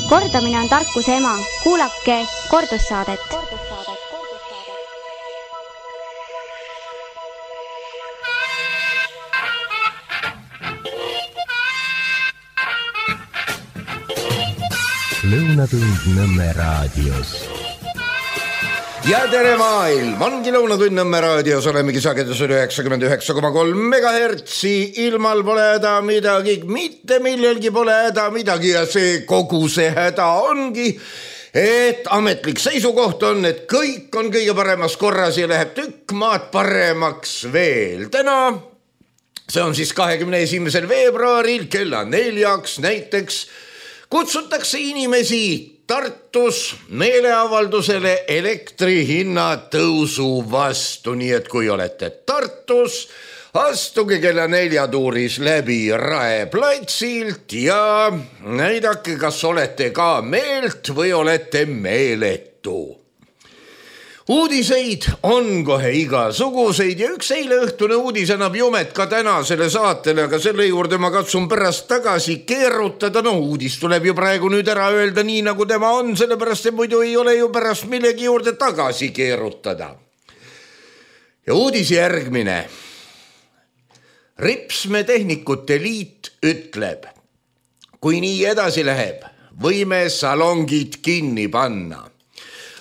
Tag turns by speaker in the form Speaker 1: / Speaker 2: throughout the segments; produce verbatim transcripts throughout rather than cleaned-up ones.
Speaker 1: Kordamine on tarkuse ema. Kuulake kordussaadet.
Speaker 2: Lõunatund Nõmme raadios.
Speaker 3: Ja tere maailm, ongi Lõunatund Nõmme raadios, olemegi sagedusel üheksakümmend üheksa koma kolm megahertsi, ilmal pole häda midagi, mitte millelgi pole häda midagi ja see kogu see häda ongi, et ametlik seisukoht on, et kõik on kõige paremas korras ja läheb tükk maad paremaks veel. Täna, see on siis kahekümne esimesel veebruaril kella neljaks näiteks, kutsutakse inimesi Tartus meeleavaldusele elektri hinna tõusu vastu, nii et kui olete Tartus, astuge kella neljatuuris läbi Rae platsilt ja näidake, kas olete ka meelt või olete meeletu. Uudiseid on kohe igasuguseid ja üks eile õhtune uudis annab jumet ka tänasele saatele, aga selle juurde ma katsun pärast tagasi keerutada. No uudis tuleb ju praegu nüüd ära öelda nii, nagu tema on, sellepärast et muidu ei ole ju pärast millegi juurde tagasi keerutada. Ja uudis järgmine. Ripsmetehnikute liit ütleb, kui nii edasi läheb, võime salongid kinni panna.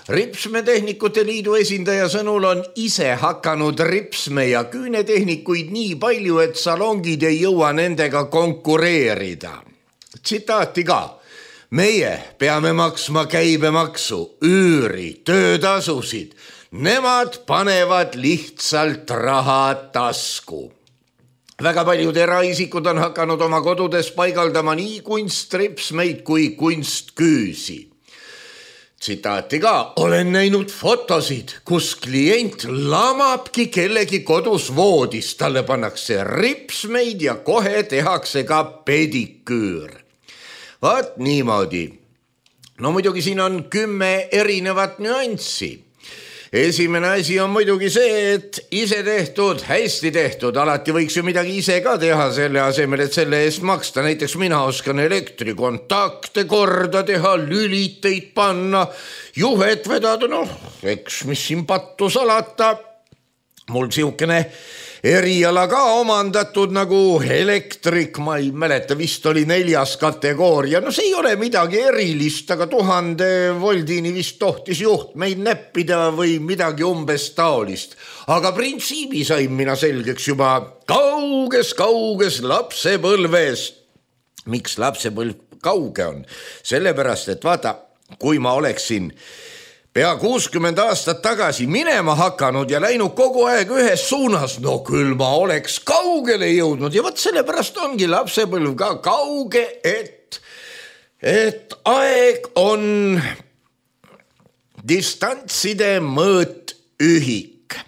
Speaker 3: Ripsmetehnikute liidu esindaja sõnul on ise hakanud ripsme ja küünetehnikuid nii palju, et salongid ei jõua nendega konkureerida. Tsitaati ka. Meie peame maksma käibemaksu, üüri, töötasusid. Nemad panevad lihtsalt raha tasku. Väga paljud eraisikud on hakanud oma kodudes paigaldama nii kunstripsmeid kui kunstküüsi. Tsitaati ka, olen näinud fotosid, kus klient lamabki kellegi kodus voodis, talle pannakse ripsmeid ja kohe tehakse ka pediküür. Vaat niimoodi. No muidugi siin on kümme erinevat nüanssi. Esimene asi on muidugi see, et ise tehtud, hästi tehtud, alati võiks ju midagi ise ka teha selle asemel, et selle eest maksta. Näiteks mina oskan elektrikontakte korda teha, lüliteid panna, juhet vedada, noh, eks mis siin pattu salata. Mul siukene eriala ka omandatud nagu elektrik, ma ei mäleta, vist oli neljas kategooria. No see ei ole midagi erilist, aga tuhande voldini vist tohtis juhtmeid näppida või midagi umbes taolist. Aga printsiibi sain mina selgeks juba kauges, kauges lapsepõlves. Miks lapsepõlv kauge on? Sellepärast, et vaata, kui ma oleksin pea kuuskümmend aastat tagasi minema hakanud ja läinud kogu aeg ühes suunas, no küll ma oleks kaugele jõudnud ja võt sellepärast ongi lapsepõlv ka kauge, et, et aeg on distantside mõõt ühik.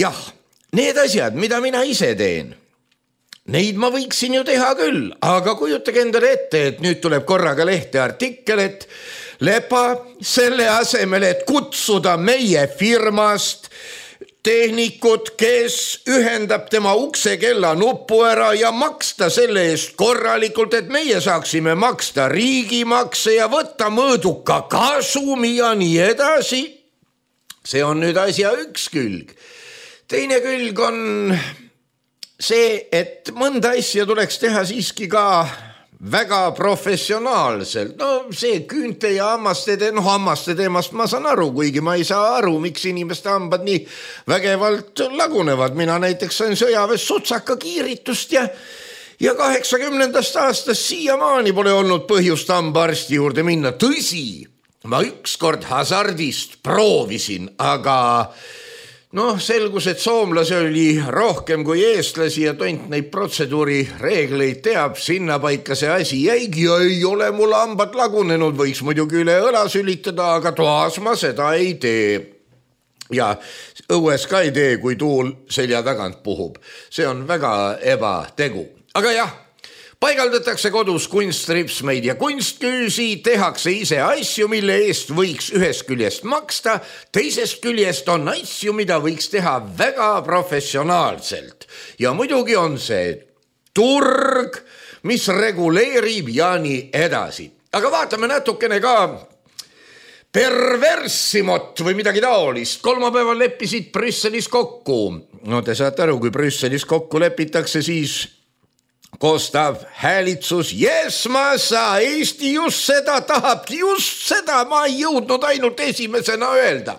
Speaker 3: Jah, need asjad, mida mina ise teen, neid ma võiksin ju teha küll, aga kujutage endale ette, et nüüd tuleb korraga lehte artikkel, et Lepa selle asemel, et kutsuda meie firmast tehnikut, kes ühendab tema uksekella nupu ära ja maksta selle eest korralikult, et meie saaksime maksta riigimakse ja võtta mõõduka kasumi ja nii edasi. See on nüüd asja üks külg. Teine külg on see, et mõnda asja tuleks teha siiski ka väga professionaalselt. No see küünte ja hammaste, no hammaste teemast ma saan aru, kuigi ma ei saa aru, miks inimeste hambad nii vägevalt lagunevad. Mina näiteks sain sõjaväes sutsaka kiiritust ja, ja kaheksakümnendast aastast siiamaani pole olnud põhjust hambaarsti juurde minna. Tõsi, ma ükskord hasardist proovisin, aga noh, selgus, et soomlasi oli rohkem kui eestlasi ja tont neid protseduuri reegleid teab, sinna paika see asi jäigi ja ei ole mul hambad lagunenud, võiks muidugi üle õla sülitada, aga toas ma seda ei tee. Ja õues ka ei tee, kui tuul selja tagant puhub. See on väga ebategu. Aga jah, paigaldatakse kodus kunstripsmeid ja kunstküüsi, tehakse ise asju, mille eest võiks ühest küljest maksta, teisest küljest on asju, mida võiks teha väga professionaalselt. Ja muidugi on see turg, mis reguleerib ja nii edasi. aga vaatame natukene ka perverssimot või midagi taolist. Kolmapäeval leppisid Brüsselis kokku. No te saate aru, kui Brüsselis kokku lepitakse, siis koostab häälitsus. Yes, ma saa, Eesti just seda tahabki, just seda ma ei jõudnud ainult esimesena öelda.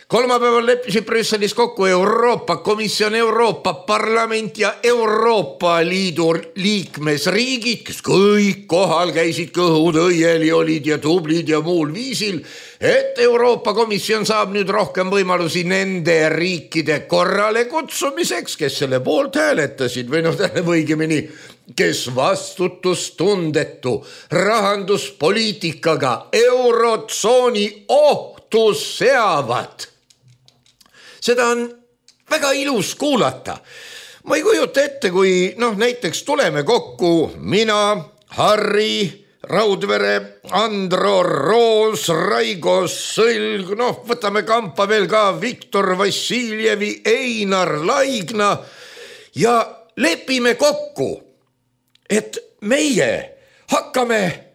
Speaker 3: Kolmapäeval leppisid Brüsselis kokku Euroopa Komisjon, Euroopa Parlament ja Euroopa Liidu liikmesriigid, kes kõik kohal käisid, kõhud õieli olid ja tublid ja muul viisil, et Euroopa Komisjon saab nüüd rohkem võimalusi nende riikide korrale kutsumiseks, kes selle poolt hääletasid või noh, õigemini, kes vastutustundetu rahanduspoliitikaga eurotsooni ohtu seavad. Seda on väga ilus kuulata. Ma ei kujuta ette, kui noh, näiteks tuleme kokku mina, Harri, Raudvere, Andro, Roos, Raigo, Sõlg, noh, võtame kampa veel ka Viktor Vassiljevi, Einar Laigna ja lepime kokku, et meie hakkame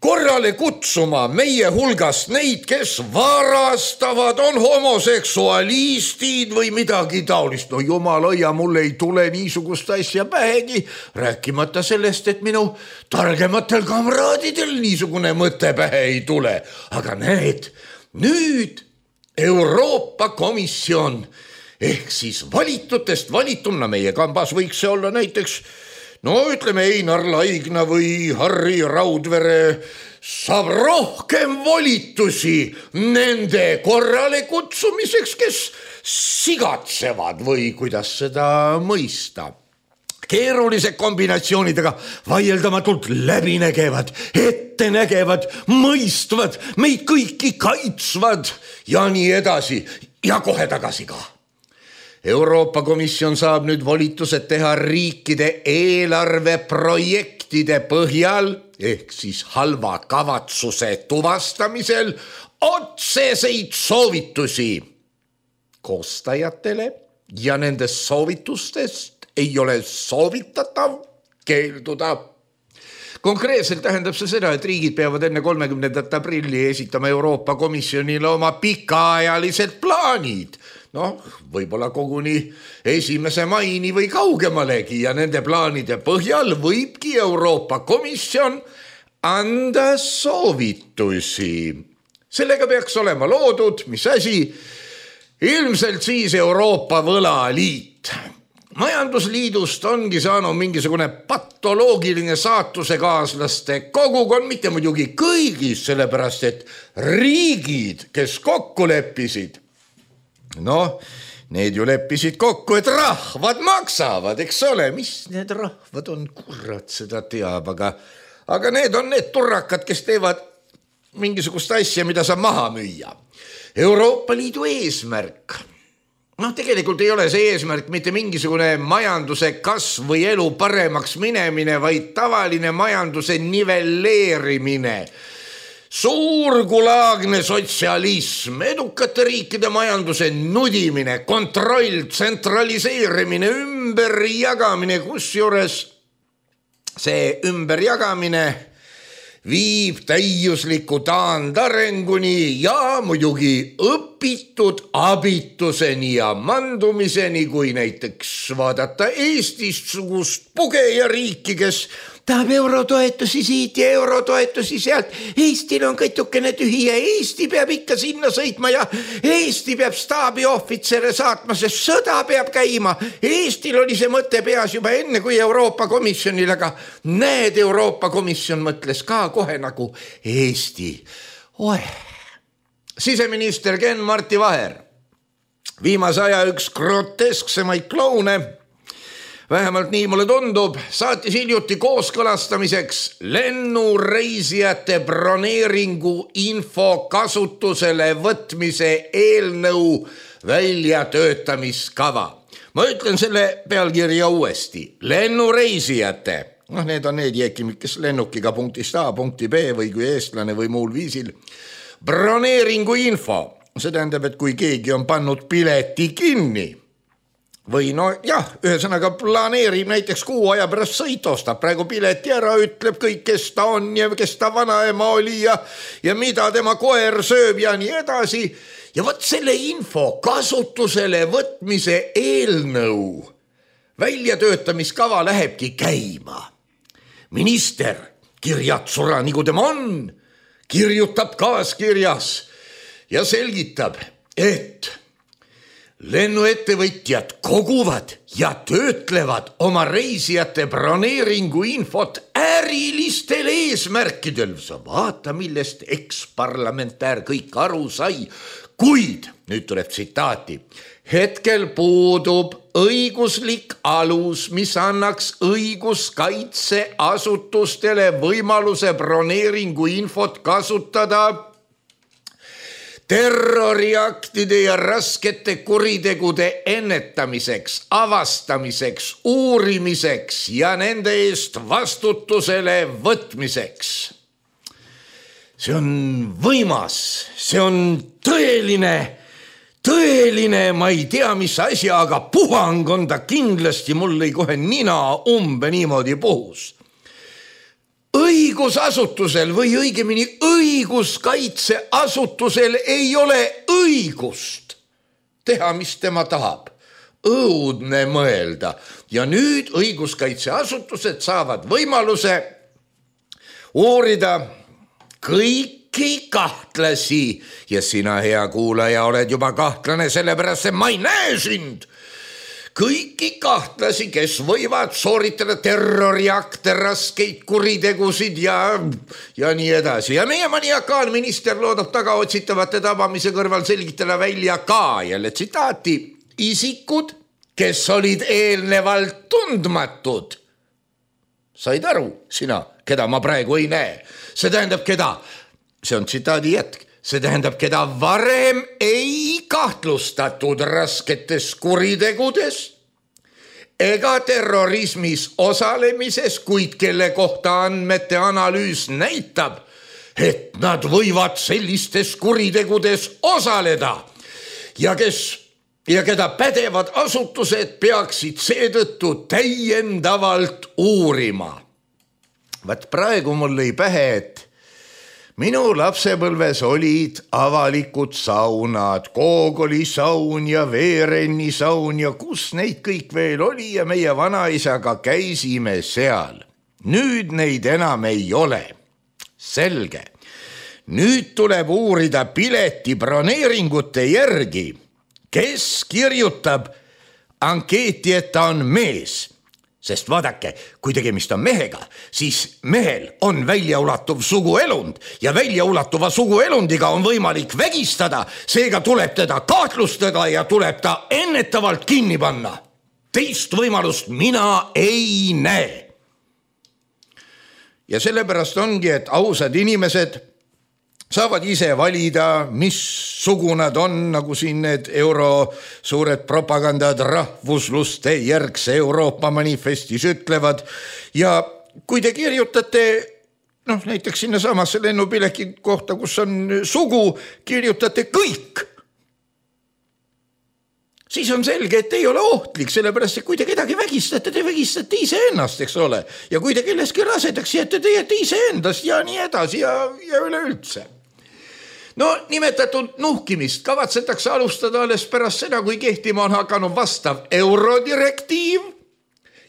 Speaker 3: korrale kutsuma meie hulgast neid, kes varastavad, on homoseksualistid või midagi taolist. No jumal hoia, mul ei tule niisugust asja pähegi, rääkimata sellest, et minu targematel kamraadidel niisugune mõte pähe ei tule. Aga näed, nüüd Euroopa Komisjon ehk siis valitutest valituna meie kambas võiks see olla näiteks no ütleme Einar Laigna või Harri Raudvere saab rohkem volitusi nende korrale kutsumiseks, kes sigatsevad või kuidas seda mõista. Keerulised kombinatsioonidega vaieldamatult läbi nägevad, ette nägevad, mõistvad, meid kõiki kaitsvad ja nii edasi ja kohe tagasi ka. Euroopa Komisjon saab nüüd volitused teha riikide eelarveprojektide põhjal ehk siis halva kavatsuse tuvastamisel otseseid soovitusi koostajatele ja nendest soovitustest ei ole soovitatav keelduda. Konkreetselt tähendab see seda, et riigid peavad enne kolmekümnendat aprilli esitama Euroopa Komisjonile oma pikaajalised plaanid. Noh, võib-olla koguni esimese maini või kaugemalegi ja nende plaanide põhjal võibki Euroopa Komisjon anda soovitusi. Sellega peaks olema loodud, mis asi, ilmselt siis Euroopa võlaliit. Majandusliidust ongi saanud mingisugune patoloogiline saatusekaaslaste kogukond, mitte muidugi kõigis, sellepärast et riigid, kes kokku leppisid, noh, need ju leppisid kokku, et rahvad maksavad, eks ole, mis need rahvad on, kurat seda teab, aga, aga need on need turrakad, kes teevad mingisugust asja, mida saab maha müüa. Euroopa Liidu eesmärk, noh, tegelikult ei ole see eesmärk mitte mingisugune majanduse kasv või elu paremaks minemine, vaid tavaline majanduse nivelleerimine. Suurgulaagne sotsialism, edukate riikide majanduse nudimine, kontroll, tsentraliseerimine, ümberjagamine, kusjuures see ümberjagamine viib täiusliku taandarenguni ja muidugi õpitud abituseni ja mandumiseni, kui näiteks vaadata Eestist sugust pugeja riiki, kes tahab eurotoetusi siit ja eurotoetusi sealt. Eestil on kõtukene tühi ja Eesti peab ikka sinna sõitma ja Eesti peab staabiohvitsere saatma, sest sõda peab käima. Eestil oli see mõte peas juba enne kui Euroopa Komisjonil, aga näed, Euroopa Komisjon mõtles ka kohe nagu Eesti. Oeh. Siseminister Ken-Marti Vaher, viimase aja üks grotesksemaid kloune, vähemalt nii mulle tundub, saatis hiljuti kooskõlastamiseks lennureisijate broneeringu info kasutusele võtmise eelnõu väljatöötamiskava. Ma ütlen selle pealkirja uuesti. Lennureisijate, noh need on need jääkimid, kes lennukiga punktist A punkti B või kui eestlane või muul viisil. Broneeringu info, see tähendab, et kui keegi on pannud pileti kinni, või no jah, ühesõnaga planeerib näiteks kuu aja pärast sõit, ostab praegu pileti ära, ütleb kõik, kes ta on ja kes ta vanaema oli ja, ja mida tema koer sööb ja nii edasi. Ja võt selle info kasutusele võtmise eelnõu väljatöötamiskava lähebki käima. Minister kirjatsura, nagu tema on, kirjutab kaaskirjas ja selgitab, et lennuettevõtjad koguvad ja töötlevad oma reisijate broneeringu infot ärilistel eesmärkidel. Sa vaata, millest eksparlamentär kõik aru sai, kuid, nüüd tuleb tsitaati, hetkel puudub õiguslik alus, mis annaks õiguskaitseasutustele võimaluse broneeringu infot kasutada terroriaktide ja raskete kuritegude ennetamiseks, avastamiseks, uurimiseks ja nende eest vastutusele võtmiseks. See on võimas, see on tõeline, tõeline, ma ei tea, mis asja, aga puhang on ta kindlasti, mul lõi kohe nina umbe niimoodi puhus. Õigusasutusel või õigemini õiguskaitseasutusel ei ole õigust teha, mis tema tahab. Õudne mõelda. Ja nüüd õiguskaitseasutused saavad võimaluse uurida kõiki kahtlasi. Ja sina, hea kuulaja, oled juba kahtlane, sellepärast et ma ei näe sind. Kõiki kahtlasi, kes võivad sooritada terroriakte, raskeid kuritegusid ja, ja nii edasi. Ja meie maniakaalminister loodab tagaotsitavate tabamise kõrval selgitada välja ka jälle tsitaati isikud, kes olid eelnevalt tundmatud. Said aru, sina, keda ma praegu ei näe? See tähendab, keda? See on tsitaadi jätk. See tähendab, keda varem ei kahtlustatud rasketes kuritegudes ega terrorismis osalemises, kuid kelle kohta andmete analüüs näitab, et nad võivad sellistes kuritegudes osaleda ja, kes, ja keda pädevad asutused peaksid seetõttu täiendavalt uurima. Vaat praegu mul lõi pähe, et minu lapsepõlves olid avalikud saunad, Koogoli saun ja Veerenni saun ja kus neid kõik veel oli ja meie vanaisaga käisime seal. Nüüd neid enam ei ole. Selge. Nüüd tuleb uurida pileti broneeringute järgi, kes kirjutab ankeeti, et ta on mees. Sest vaadake, kui tegemist on mehega, siis mehel on väljaulatuv suguelund ja väljaulatuva suguelundiga on võimalik vägistada, seega tuleb teda kahtlustada ja tuleb ta ennetavalt kinni panna. Teist võimalust mina ei näe. Ja sellepärast ongi, et ausad inimesed saavad ise valida, mis sugu nad on, nagu siin need euro suured propagandad rahvusluste järgse Euroopa manifestis ütlevad. Ja kui te kirjutate, noh, näiteks sinna samasse lennupileki kohta, kus on sugu, kirjutate kõik, siis on selge, et ei ole ohtlik, sellepärast, et kui te kedagi vägistate, te vägistate ise ennast, eks ole. Ja kui te kelleski rasedaks jääte, te jääte ise endast ja nii edasi ja, ja üleüldse. No nimetatud nuhkimist kavatsetakse alustada alles pärast seda, kui kehtima on hakanud vastav eurodirektiiv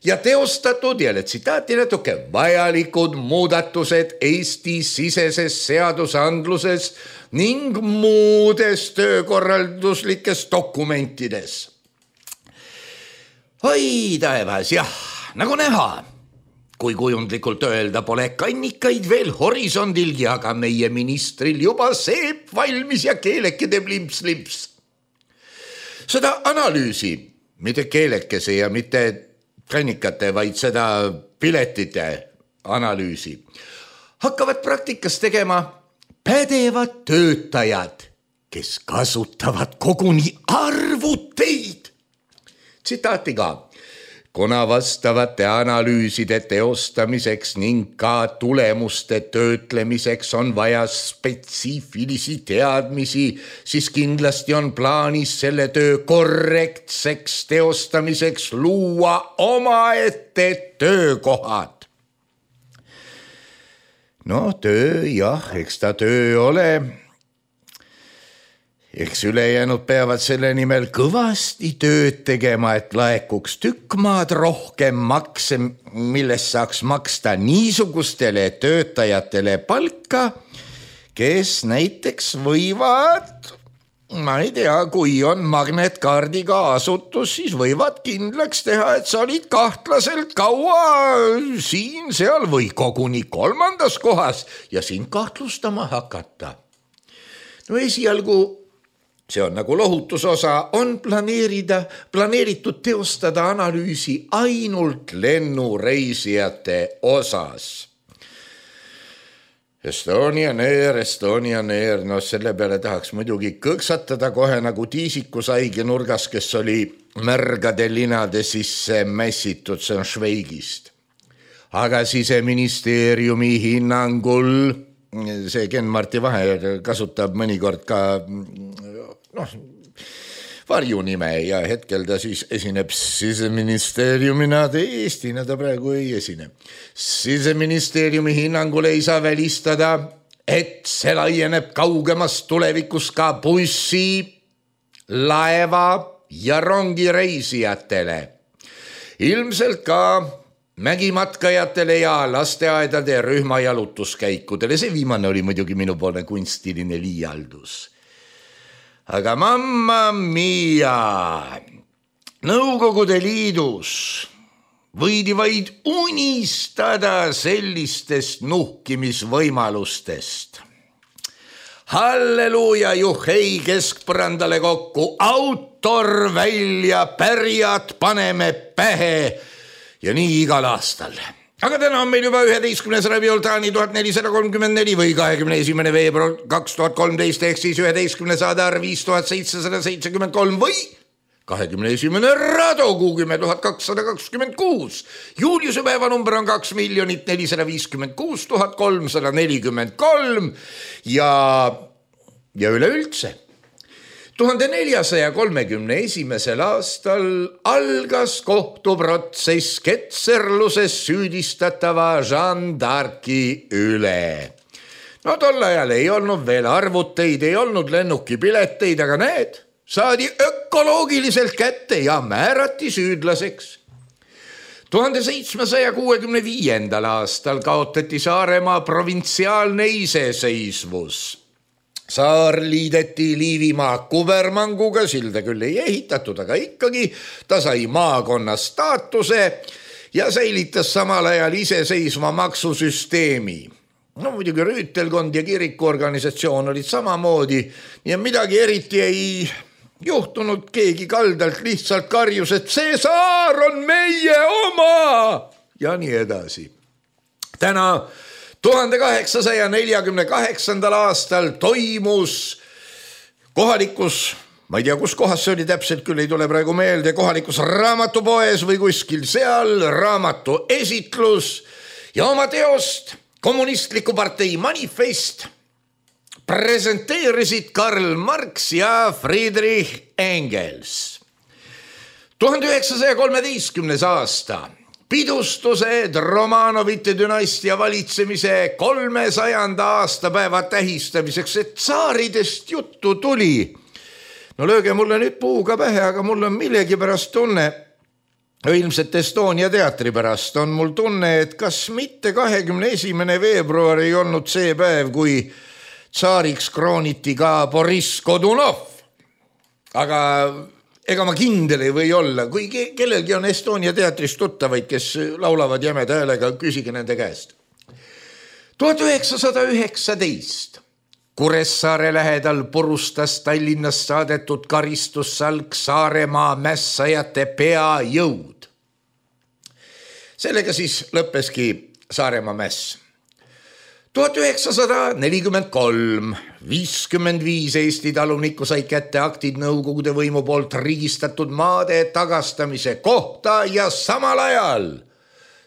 Speaker 3: ja teostatud, jälle tsitaati natuke, vajalikud muudatused Eesti siseses seadusandluses ning muudes töökorralduslikes dokumentides. Oi taevas, jah, nagu näha. Kui kujundlikult öelda, pole kannikaid veel horisondilgi, aga meie ministril juba seep valmis ja keeleke teeb limps-limps. Seda analüüsi, mitte keelekese ja mitte kannikate, vaid seda piletite analüüsi, hakkavad praktikas tegema pädevad töötajad, kes kasutavad koguni arvuteid. Tsitaati ka. kuna vastavate analüüside teostamiseks ning ka tulemuste töötlemiseks on vaja spetsiifilisi teadmisi, siis kindlasti on plaanis selle töö korrektseks teostamiseks luua omaette töökohad. No töö, jah, eks ta töö ole. Eks ülejäänud peavad selle nimel kõvasti tööd tegema, et laekuks tükk maad rohkem makse, millest saaks maksta niisugustele töötajatele palka, kes näiteks võivad, ma ei tea, kui on magnetkaardiga asutus, siis võivad kindlaks teha, et sa olid kahtlaselt kaua siin, seal või koguni kolmandas kohas ja sind kahtlustama hakata. No esialgu see on nagu lohutusosa, on planeerida, planeeritud teostada analüüsi ainult lennureisijate osas. Estonian Air, Estonian Air, no selle peale tahaks muidugi kõksatada kohe nagu tiisikusaigi nurgas, kes oli märgade linade sisse mässitud, see on Šveigist. Aga Siseministeeriumi hinnangul, see Ken-Marti Vahe kasutab mõnikord ka noh, varjunime ja hetkel ta siis esineb Siseministeeriumina, Eestina ta praegu ei esine. Siseministeeriumi hinnangul ei saa välistada, et see laieneb kaugemas tulevikus ka bussi, laeva ja rongireisijatele. Ilmselt ka mägimatkajatele ja lasteaedade rühmajalutuskäikudele. See viimane oli muidugi minupoolne kunstiline liialdus. Aga mamma mia, Nõukogude Liidus võidi vaid unistada sellistest nuhkimisvõimalustest. Halleluuja, juhei keskpõrandale kokku, autor välja, pärjad paneme pähe ja nii igal aastal. Aga täna on meil juba üheteistkümnes Ravioltani tuhat nelisada kolmkümmend neli või kahekümne esimene veebruar kaks tuhat kolmteist ehk siis üheteistkümne saadaar viis tuhat seitsesada seitsekümmend kolm või kahekümne esimene Radogu kümme tuhat kakssada kakskümmend kuus. Juuliuse päevanumber on kaks miljonit nelisada viiskümmend kuus tuhat kolmsada nelikümmend kolm ja, ja üleüldse. tuhande neljasaja kolmekümne esimesel aastal algas kohtuprotsess ketserluses süüdistatava Jeanne d'Arci üle. No tol ajal ei olnud veel arvuteid, ei olnud lennukipileteid, aga need saadi ökoloogiliselt kätte ja määrati süüdlaseks. tuhande seitsmesaja kuuekümne viiendal aastal kaotati Saaremaa provintsiaalne iseseisvus. Saar liideti Liivimaa kubermanguga, silda küll ei ehitatud, aga ikkagi ta sai maakonna staatuse ja säilitas samal ajal iseseisva maksusüsteemi. No muidugi rüütelkond ja kirikuorganisatsioon olid samamoodi ja midagi eriti ei juhtunud, keegi kaldalt lihtsalt karjus, et see saar on meie oma ja nii edasi. Täna tuhande kaheksasaja neljakümne kaheksandal aastal toimus kohalikus, ma ei tea, kus kohas see oli täpselt, küll ei tule praegu meelde, kohalikus raamatupoes või kuskil seal raamatu esitlus ja oma teost kommunistliku partei manifest presenteerisid Karl Marx ja Friedrich Engels. tuhande üheksasaja kolmeteistkümnes aasta pidustused Romanovite dünastia valitsemise kolmesajanda aastapäeva tähistamiseks, et tsaaridest juttu tuli. No lööge mulle nüüd puuga pähe, aga mul on millegi pärast tunne, ilmselt Estonia teatri pärast on mul tunne, et kas mitte kahekümne esimene veebruar ei olnud see päev, kui tsaariks krooniti ka Boris Godunov. Aga ega ma kindel ei või olla, kui kellelgi on Estonia teatrist tuttavaid, kes laulavad jämeda häälega, küsige nende käest. tuhat üheksasada üheksateist Kuressaare lähedal purustas Tallinnast saadetud karistussalk Saaremaa mässajate peajõud. Sellega siis lõppeski Saaremaa mäss. tuhat üheksasada nelikümmend kolm, viiskümmend viis Eesti talunikku sai kätte aktid Nõukogude võimu poolt riigistatud maade tagastamise kohta ja samal ajal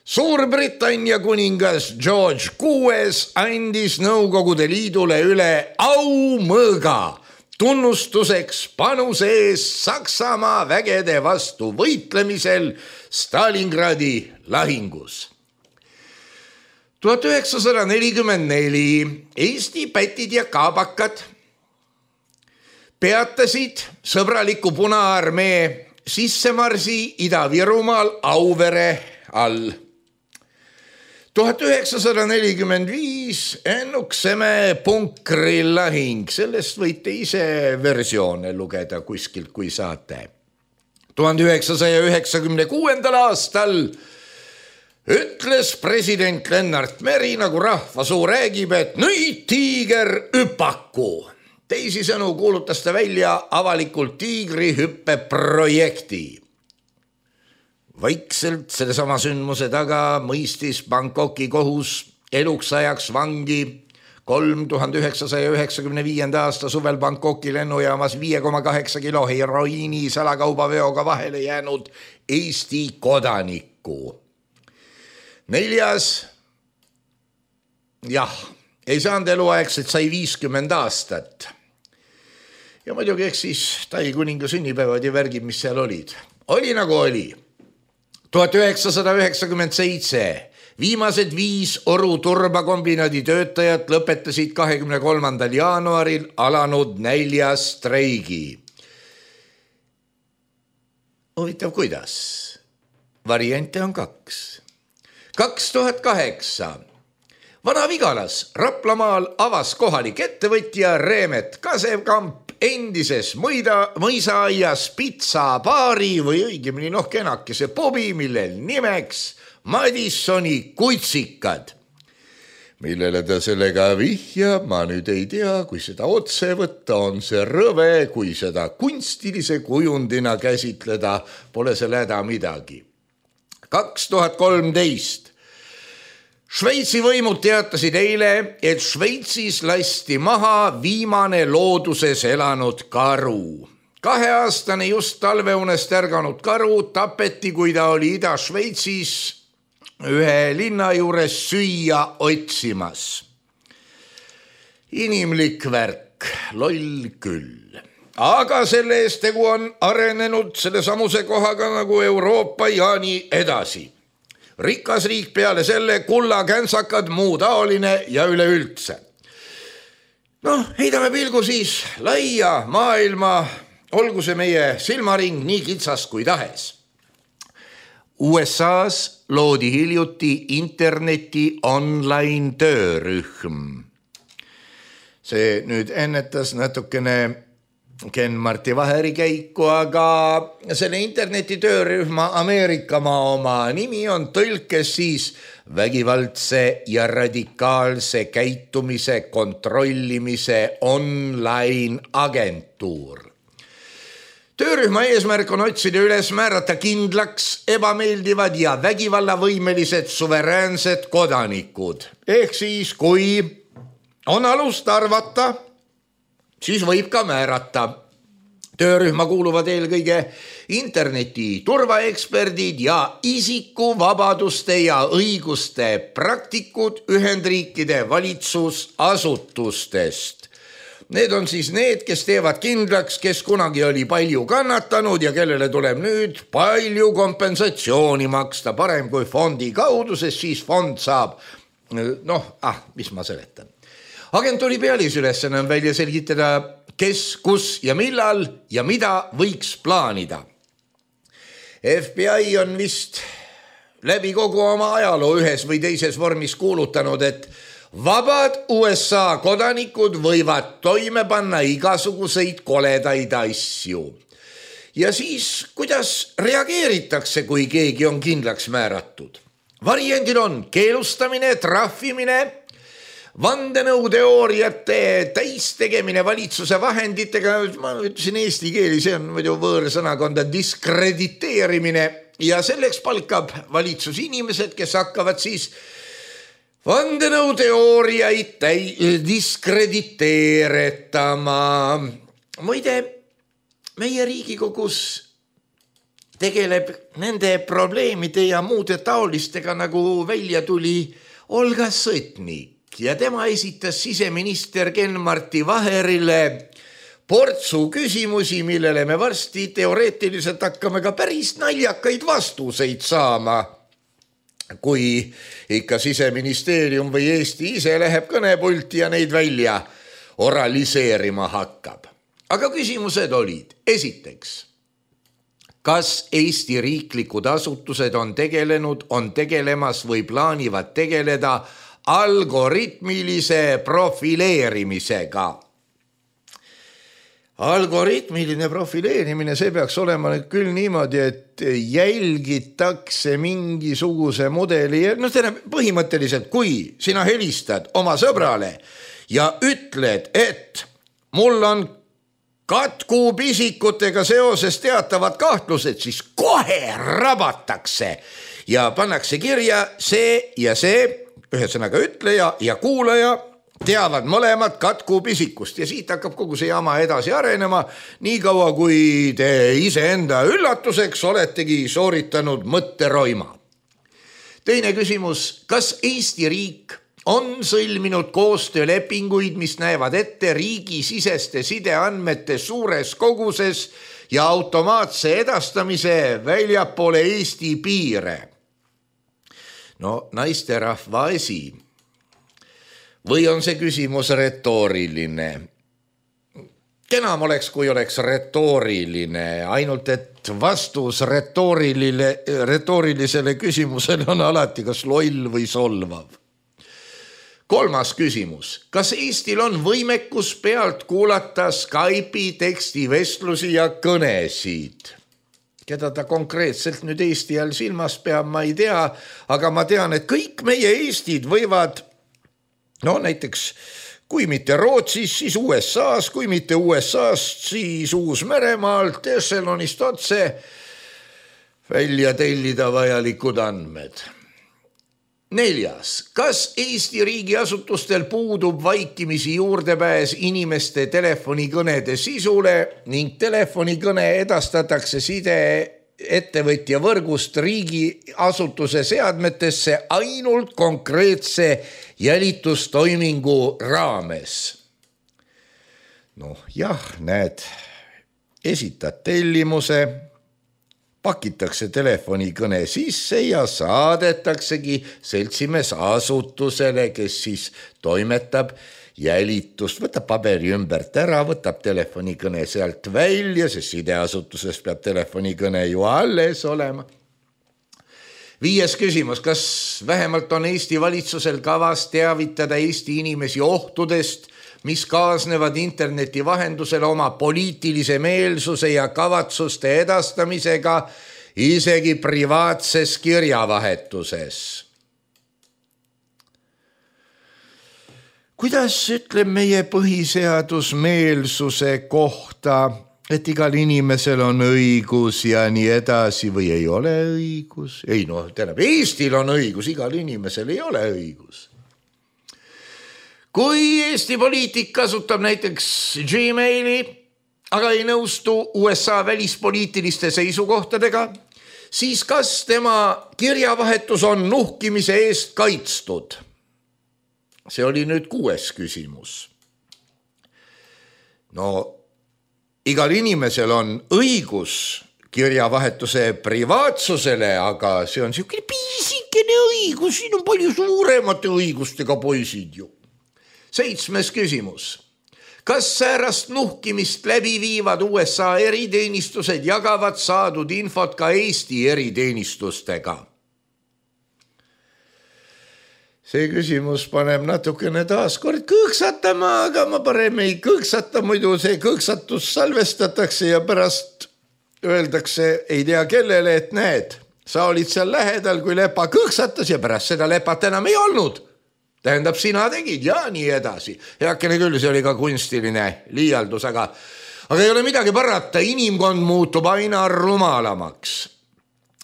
Speaker 3: Suurbritannia kuningas George kuues andis Nõukogude Liidule üle aumõõga tunnustuseks panuse ees Saksamaa vägede vastu võitlemisel Stalingradi lahingus. tuhat üheksasada nelikümmend neli Eesti pätid ja kaabakad peatasid sõbraliku Punaarmee sissemarsi Ida-Virumaal Auvere all. tuhat üheksasada nelikümmend viis Ennukseme punkri lahing, sellest võite ise versioone lugeda kuskilt, kui saate. tuhande üheksasaja üheksakümne kuuendal aastal ütles president Lennart Meri, nagu rahvasuu räägib, et nüüd tiiger hüpaku. Teisisõnu kuulutas ta välja avalikult tiigrihüppe projekti. Vaikselt sellesama sündmuse taga mõistis Bangkoki kohus eluks ajaks vangi kolm tuhande üheksasaja üheksakümne viienda aasta suvel Bangkoki lennujaamas viie koma kaheksa kilo heroiini salakaubaveoga vahele jäänud Eesti kodanikku. Neljas, jah, ei saanud eluaegselt, sai viiskümmend aastat. Ja muidugi eks siis Tai kuninga sünnipäevad ja värgid, mis seal olid. Oli nagu oli. tuhat üheksasada üheksakümmend seitse viimased viis Oru turbakombinaadi töötajat lõpetasid kahekümne kolmandal jaanuaril alanud näljastreigi. Huvitav, kuidas? Variante on kaks. kaks tuhat kaheksa. Vana-Vigalas Raplamaal avas kohalik ettevõtja Reemet Kasevkamp endises mõida, mõisaaias pitsabaari või õigemini noh kenakese pubi, millel nimeks Madissoni kutsikad. Millele ta sellega vihjab, ma nüüd ei tea, kui seda otse võtta, on see rõve, kui seda kunstilise kujundina käsitleda, pole selle häda midagi. kaks tuhat kolmteist. Šveitsi võimud teatasid eile, et Šveitsis lasti maha viimane looduses elanud karu. Kaheaastane just talveunest ärganud karu tapeti, kui ta oli Ida-Šveitsis ühe linna juures süüa otsimas. Inimlik värk, loll küll. Aga selle eest tegu on arenenud selle samuse kohaga nagu Euroopa ja nii edasi. Rikas riik peale selle, kulla, käntsakad, muu taoline ja üleüldse. Noh, heidame pilgu siis laia maailma, olgu see meie silmaring nii kitsas kui tahes. U S A-s loodi hiljuti interneti online töörühm. See nüüd ennetas natukene Ken-Marti Vaheri käiku, aga selle interneti töörühma Ameerikamaa oma nimi on tõlkes siis vägivaldse ja radikaalse käitumise kontrollimise online agentuur. Töörühma eesmärk on otsida üles määrata kindlaks ebameeldivad ja vägivallavõimelised suveräänsed kodanikud. Ehk siis, kui on alust arvata, siis võib ka määrata. Töörühma kuuluvad eelkõige interneti turvaeksperdid ja isikuvabaduste ja õiguste praktikud Ühendriikide valitsusasutustest. Need on siis need, kes teevad kindlaks, kes kunagi oli palju kannatanud ja kellele tuleb nüüd palju kompensatsiooni maksta, parem kui fondi kaudu, sest siis fond saab, noh, ah, mis ma seletan. Agentuuri pealisülesanne on välja selgitada, kes, kus ja millal ja mida võiks plaanida. F B I on vist läbi kogu oma ajaloo ühes või teises vormis kuulutanud, et vabad U S A kodanikud võivad toime panna igasuguseid koledaid asju. Ja siis, kuidas reageeritakse, kui keegi on kindlaks määratud? Variandid on keelustamine, trahvimine, vandenõuteooriate täistegemine valitsuse vahenditega, ma ütlesin eesti keeli, see on muidu võõrsõnakonda diskrediteerimine ja selleks palkab valitsus inimesed, kes hakkavad siis vandenõuteooriaid täi- diskrediteeretama. Muide, meie Riigikogus tegeleb nende probleemide ja muude taolistega, nagu välja tuli Olga Sõtnik ja tema esitas siseminister Ken-Marti Vaherile portsu küsimusi, millele me varsti teoreetiliselt hakkame ka päris naljakaid vastuseid saama, kui ikka siseministeerium või Eesti ise läheb kõnepulti ja neid välja oraliseerima hakkab. Aga küsimused olid, esiteks, kas Eesti riiklikud asutused on tegelenud, on tegelemas või plaanivad tegeleda algoritmilise profileerimisega? Algoritmiline profileerimine, see peaks olema nüüd küll niimoodi, et jälgitakse mingisuguse mudeli. No tähendab, põhimõtteliselt, kui sina helistad oma sõbrale ja ütled, et mul on katkupisikutega seoses teatavad kahtlused, siis kohe rabatakse ja pannakse kirja see ja see, ühesõnaga ütleja ja kuulaja teavad mõlemad katkupisikust ja siit hakkab kogu see jama edasi arenema, nii kaua kui te iseenda üllatuseks oletegi sooritanud mõtteroima. Teine küsimus, kas Eesti riik on sõlminud koostöölepinguid, mis näevad ette riigisiseste sideandmete suures koguses ja automaatse edastamise väljapoole Eesti piire? No naisterahva asi. Või on see küsimus retooriline? Kenam oleks, kui oleks retooriline, ainult et vastus retoorilile, retoorilisele küsimusele on alati kas loll või solvav. Kolmas küsimus. Kas Eestil on võimekus pealt kuulata Skype'i tekstivestlusi ja kõnesid? Keda ta konkreetselt nüüd Eesti all silmas peab, ma ei tea, aga ma tean, et kõik meie Eestid võivad no näiteks, kui mitte Rootsis, siis U S A-s, kui mitte U S A-st, siis Uus-Meremaalt, Esselonist otse välja tellida vajalikud andmed. Neljas, kas Eesti riigiasutustel puudub vaikimisi juurdepääs inimeste telefonikõnede sisule ning telefonikõne edastatakse side ettevõtja võrgust riigiasutuse seadmetesse ainult konkreetse jälitustoimingu raames? Noh jah, näed, esitad tellimuse, pakitakse telefonikõne sisse ja saadetaksegi seltsimees asutusele, kes siis toimetab jälitust, võtab paberi ümbert ära, võtab telefonikõne sealt välja, sest sideasutuses peab telefonikõne ju alles olema. Viies küsimus, kas vähemalt on Eesti valitsusel kavas teavitada Eesti inimesi ohtudest, mis kaasnevad interneti vahendusel oma poliitilise meelsuse ja kavatsuste edastamisega isegi privaatses kirjavahetuses? Kuidas ütleb meie põhiseadus meelsuse kohta, et igal inimesel on õigus ja nii edasi või ei ole õigus? Ei noh, tähendab, Eestil on õigus, igal inimesel ei ole õigus. Kui Eesti poliitik kasutab näiteks Gmaili, aga ei nõustu U S A välispoliitiliste seisukohtadega, siis kas tema kirjavahetus on nuhkimise eest kaitstud? See oli nüüd kuues küsimus. No, igal inimesel on õigus kirjavahetuse privaatsusele, aga see on siukene piisikene õigus, siin on palju suuremate õigustega poisid ju. Seitsmes küsimus. Kas säärast nuhkimist läbi viivad U S A eriteenistused jagavad saadud infot ka Eesti eriteenistustega? See küsimus paneb natukene taaskord kõõksatama, aga ma parem ei kõõksata, muidu see kõõksatus salvestatakse ja pärast öeldakse, ei tea kellele, et näed, sa olid seal lähedal, kui lepa kõõksatas ja pärast seda lepat enam ei olnud. Tähendab, sina tegid ja nii edasi. Heakene küll, see oli ka kunstiline liialdus, aga, aga ei ole midagi parata, inimkond muutub aina rumalamaks.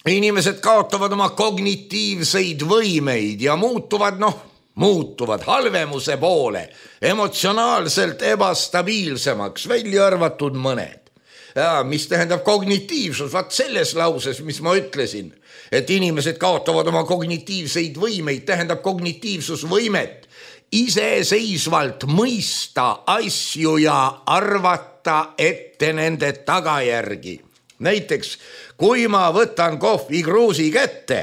Speaker 3: Inimesed kaotavad oma kognitiivseid võimeid ja muutuvad, noh, muutuvad halvemuse poole, emotsionaalselt ebastabiilsemaks, välja arvatud mõned. Ja, mis tähendab kognitiivsus, vaat selles lauses, mis ma ütlesin, et inimesed kaotavad oma kognitiivseid võimeid, tähendab kognitiivsusvõimet iseseisvalt mõista asju ja arvata ette nende tagajärgi. Näiteks, kui ma võtan kohvikruusi kätte,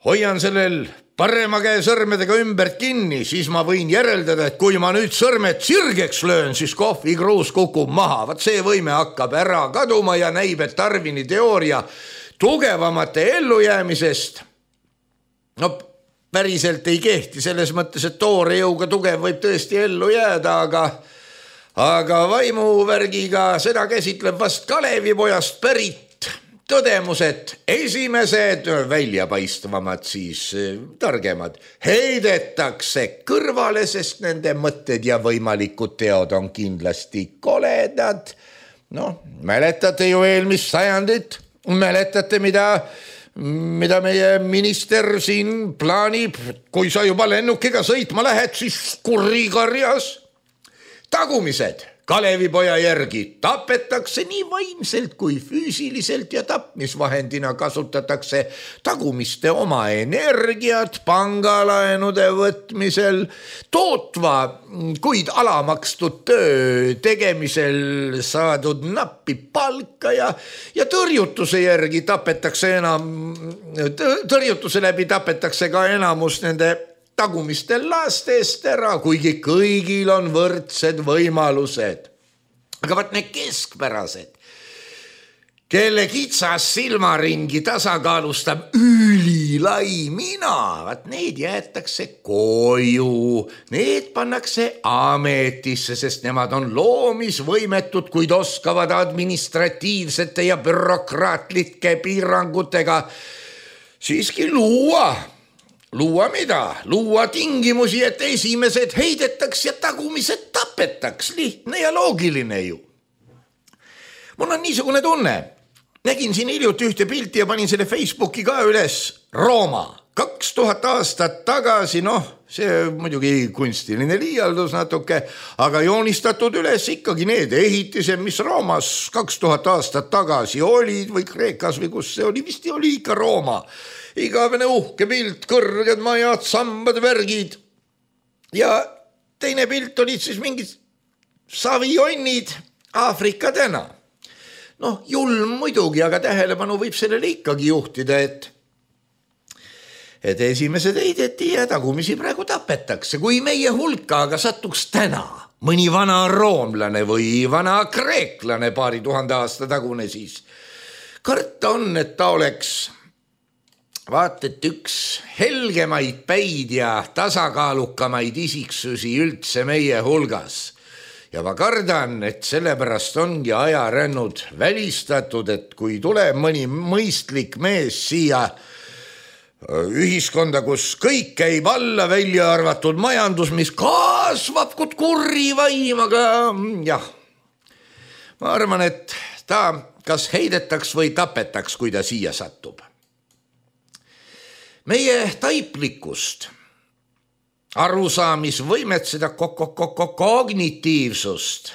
Speaker 3: hoian sellel parema käe sõrmedega ümbert kinni, siis ma võin järeldada, et kui ma nüüd sõrmed sirgeks löön, siis kohvikruus kukub maha. Vaat see võime hakkab ära kaduma ja näib, et Darwini teooria tugevamate ellujäämisest no päriselt ei kehti selles mõttes, et toore jõuga tugev võib tõesti ellu jääda, aga aga vaimuvärgiga seda käsitleb vast Kalevipojast pärit tõdemus, et esimesed väljapaistvamad, siis targemad, heidetakse kõrvale, sest nende mõtted ja võimalikud teod on kindlasti koledad. No, mäletate ju eelmist sajandit, mäletate, mida, mida meie minister siin plaanib, kui sa juba lennukiga sõitma lähed, siis kurikarjas. Tagumised Kalevipoja järgi tapetakse nii vaimselt kui füüsiliselt ja tapmisvahendina kasutatakse tagumiste oma energiat pangalaenude võtmisel, tootva, kuid alamakstud töö tegemisel saadud nappi palka ja, ja tõrjutuse järgi tapetakse enam, tõrjutuse läbi tapetakse ka enamus nende tagumiste lastest ära, kuigi kõigil on võrdsed võimalused. Aga vaat need keskpärased, kelle kitsas silmaringi tasakaalustab ülilai mina, vaat need jäetakse koju, need pannakse ametisse, sest nemad on loomisvõimetud, kuid oskavad administratiivsete ja bürokraatlike piirangutega siiski luua. Luua mida? Luua tingimusi, et esimesed heidetaks ja tagumised tapetaks. Lihtne ja loogiline ju. Mul on niisugune tunne. Nägin siin hiljuti ühte pilti ja panin selle Facebooki ka üles. Rooma. Kaks tuhat aastat tagasi, noh, see muidugi kunstiline liialdus natuke, aga joonistatud üles ikkagi need ehitised, mis Roomas kaks tuhat aastat tagasi olid või Kreekas või kus see oli, vist oli ikka Rooma. Igavene uhke pilt, kõrged majad, sambad, värgid. Ja teine pilt olid siis mingid savijonnid Aafrika täna. Noh, julm muidugi, aga tähelepanu võib sellele ikkagi juhtida, et et esimesed heideti ja tagumisi praegu tapetakse. Kui meie hulka aga satuks täna mõni vana roomlane või vana kreeklane paari tuhande aasta tagune, siis karta on, et ta oleks vaat, et üks helgemaid päid ja tasakaalukamaid isiksusi üldse meie hulgas. Ja ma kardan, et sellepärast ongi ajarännud välistatud, et kui tuleb mõni mõistlik mees siia ühiskonda, kus kõik käib alla, välja arvatud majandus, mis kasvab kui kurri vaim, aga jah, ma arvan, et ta kas heidetaks või tapetaks, kui ta siia satub. Meie taiplikust, arusaamisvõimet, seda kognitiivsust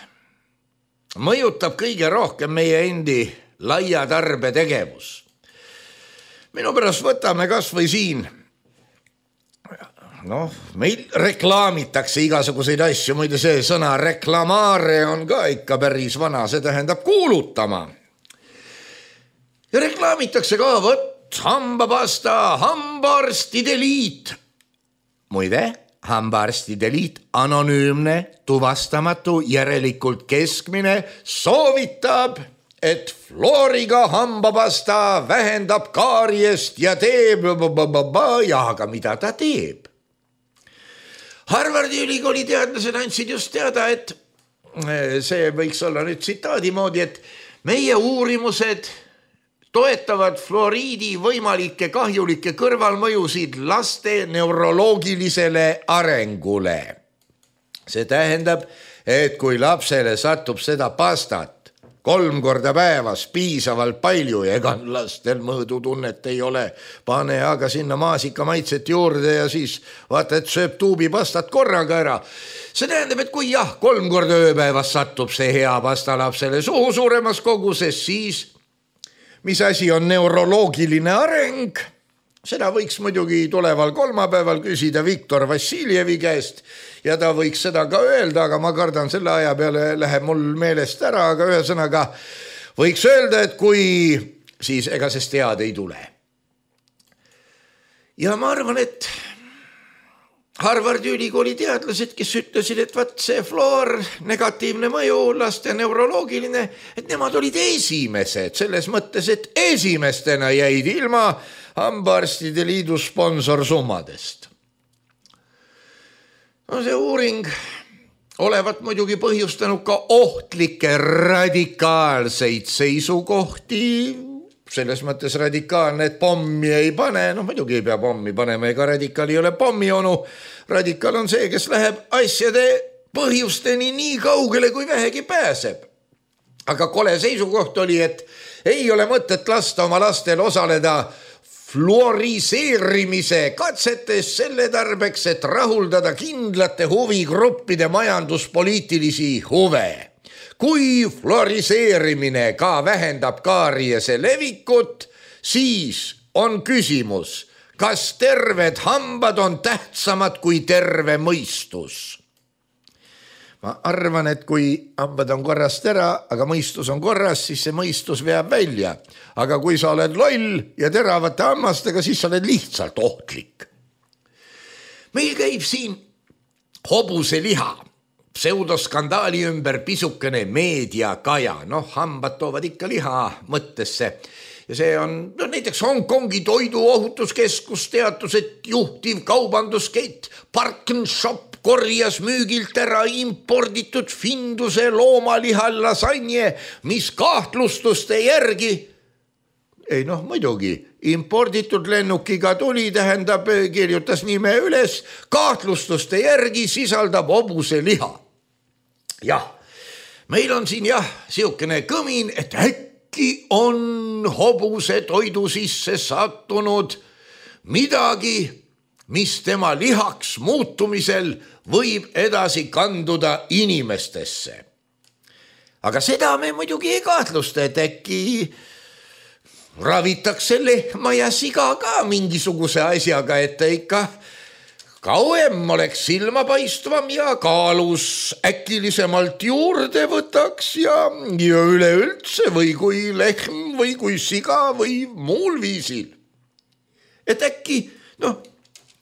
Speaker 3: mõjutab kõige rohkem meie endi laia tarbe tegevus. Minu pärast võtame kas või siin, noh, meil reklaamitakse igasuguseid asju, muide see sõna reklamare on ka ikka päris vana, see tähendab kuulutama. Ja reklaamitakse ka, võt, hambapasta, hambaarstide liit. Muide, hambaarstide liit, anonüümne, tuvastamatu, järelikult keskmine, soovitab, et fluoriga hambapasta vähendab kaariest ja teeb ja aga mida ta teeb? Harvardi ülikooli teadlased andsid just teada, et see võiks olla nüüd tsitaadi moodi, et meie uurimused toetavad fluoriidi võimalikke kahjulikke kõrvalmõjusid laste neuroloogilisele arengule. See tähendab, et kui lapsele satub seda pastat kolm korda päevas piisavalt palju ja ega lastel mõõdutunnet ei ole. Pane aga sinna maasika maitset juurde ja siis vaata, et sööb tuubi pastat korraga ära. See tähendab, et kui jah, kolm korda ööpäevas satub see hea pasta lapsele suhu suuremas koguses, siis mis asi on neuroloogiline areng? Seda võiks muidugi tuleval kolmapäeval küsida Viktor Vassiljevi käest ja ta võiks seda ka öelda, aga ma kardan selle aja peale läheb mul meelest ära, aga ühesõnaga võiks öelda, et kui siis ega sest tead ei tule. Ja ma arvan, et Harvardi ülikooli teadlased, kes ütlesid, et vaat see fluor, negatiivne mõju, laste neuroloogiline, et nemad olid esimesed selles mõttes, et esimestena jäid ilma hambaarstide liidu sponsorsummadest. No see uuring olevat muidugi põhjustanud ka ohtlikke radikaalseid seisukohti, selles mõttes radikaalne, et pommi ei pane, no muidugi ei pea pommi panema, ega radikaal ei ole pommi onu. Radikaal on see, kes läheb asjade põhjusteni nii kaugele, kui vähegi pääseb. Aga kole seisukoht oli, et ei ole mõtet lasta oma lastel osaleda fluoriseerimise katsetes selle tarbeks, et rahuldada kindlate huvigruppide majanduspoliitilisi huve. Kui fluoriseerimine ka vähendab kaariese levikut, siis on küsimus, kas terved hambad on tähtsamad kui terve mõistus. Ma arvan, et kui hambad on korrast ära, aga mõistus on korras, siis see mõistus veab välja. Aga kui sa oled loll ja teravate hammastega, siis sa oled lihtsalt ohtlik. Meil käib siin hobuse liha. Pseudoskandaali ümber pisukene meediakaja, noh, hambad toovad ikka liha mõttesse ja see on, no näiteks Hongkongi toiduohutuskeskus teatus, et juhtiv kaubanduskett Parkenshop korjas müügilt ära imporditud Finduse loomalihal lasanje, mis kahtlustuste järgi, ei noh, muidugi, imporditud lennukiga tuli, tähendab, kirjutas nime üles, kahtlustuste järgi sisaldab hobuse liha. Jah, meil on siin jah, siukene kõmin, et äkki on hobuse toidu sisse sattunud midagi, mis tema lihaks muutumisel võib edasi kanduda inimestesse. Aga seda me muidugi ei kahtlusta, et äkki ravitakse lehma ja siga ka mingisuguse asjaga, et ta ikka kauem oleks silmapaistvam ja kaalus äkilisemalt juurde võtaks ja, ja üleüldse või kui lehm või kui siga või muul viisil. Et äkki, noh,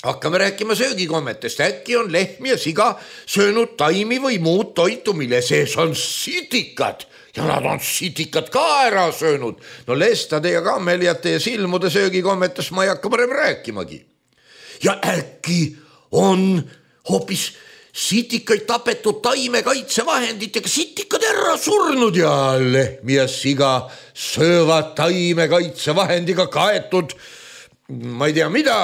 Speaker 3: hakkame rääkima söögikommetest, äkki on lehm ja siga söönud taimi või muud toitu, mille sees on sitikad ja nad on sitikad ka ära söönud. No lestade ja kammeliate ja silmude söögikommetest ma ei hakka parem rääkimagi. Ja äkki on hoopis sitikaid tapetud taimekaitsevahenditega sitikad ära surnud ja lehm ja siga söövad taimekaitsevahendiga kaetud, ma ei tea mida,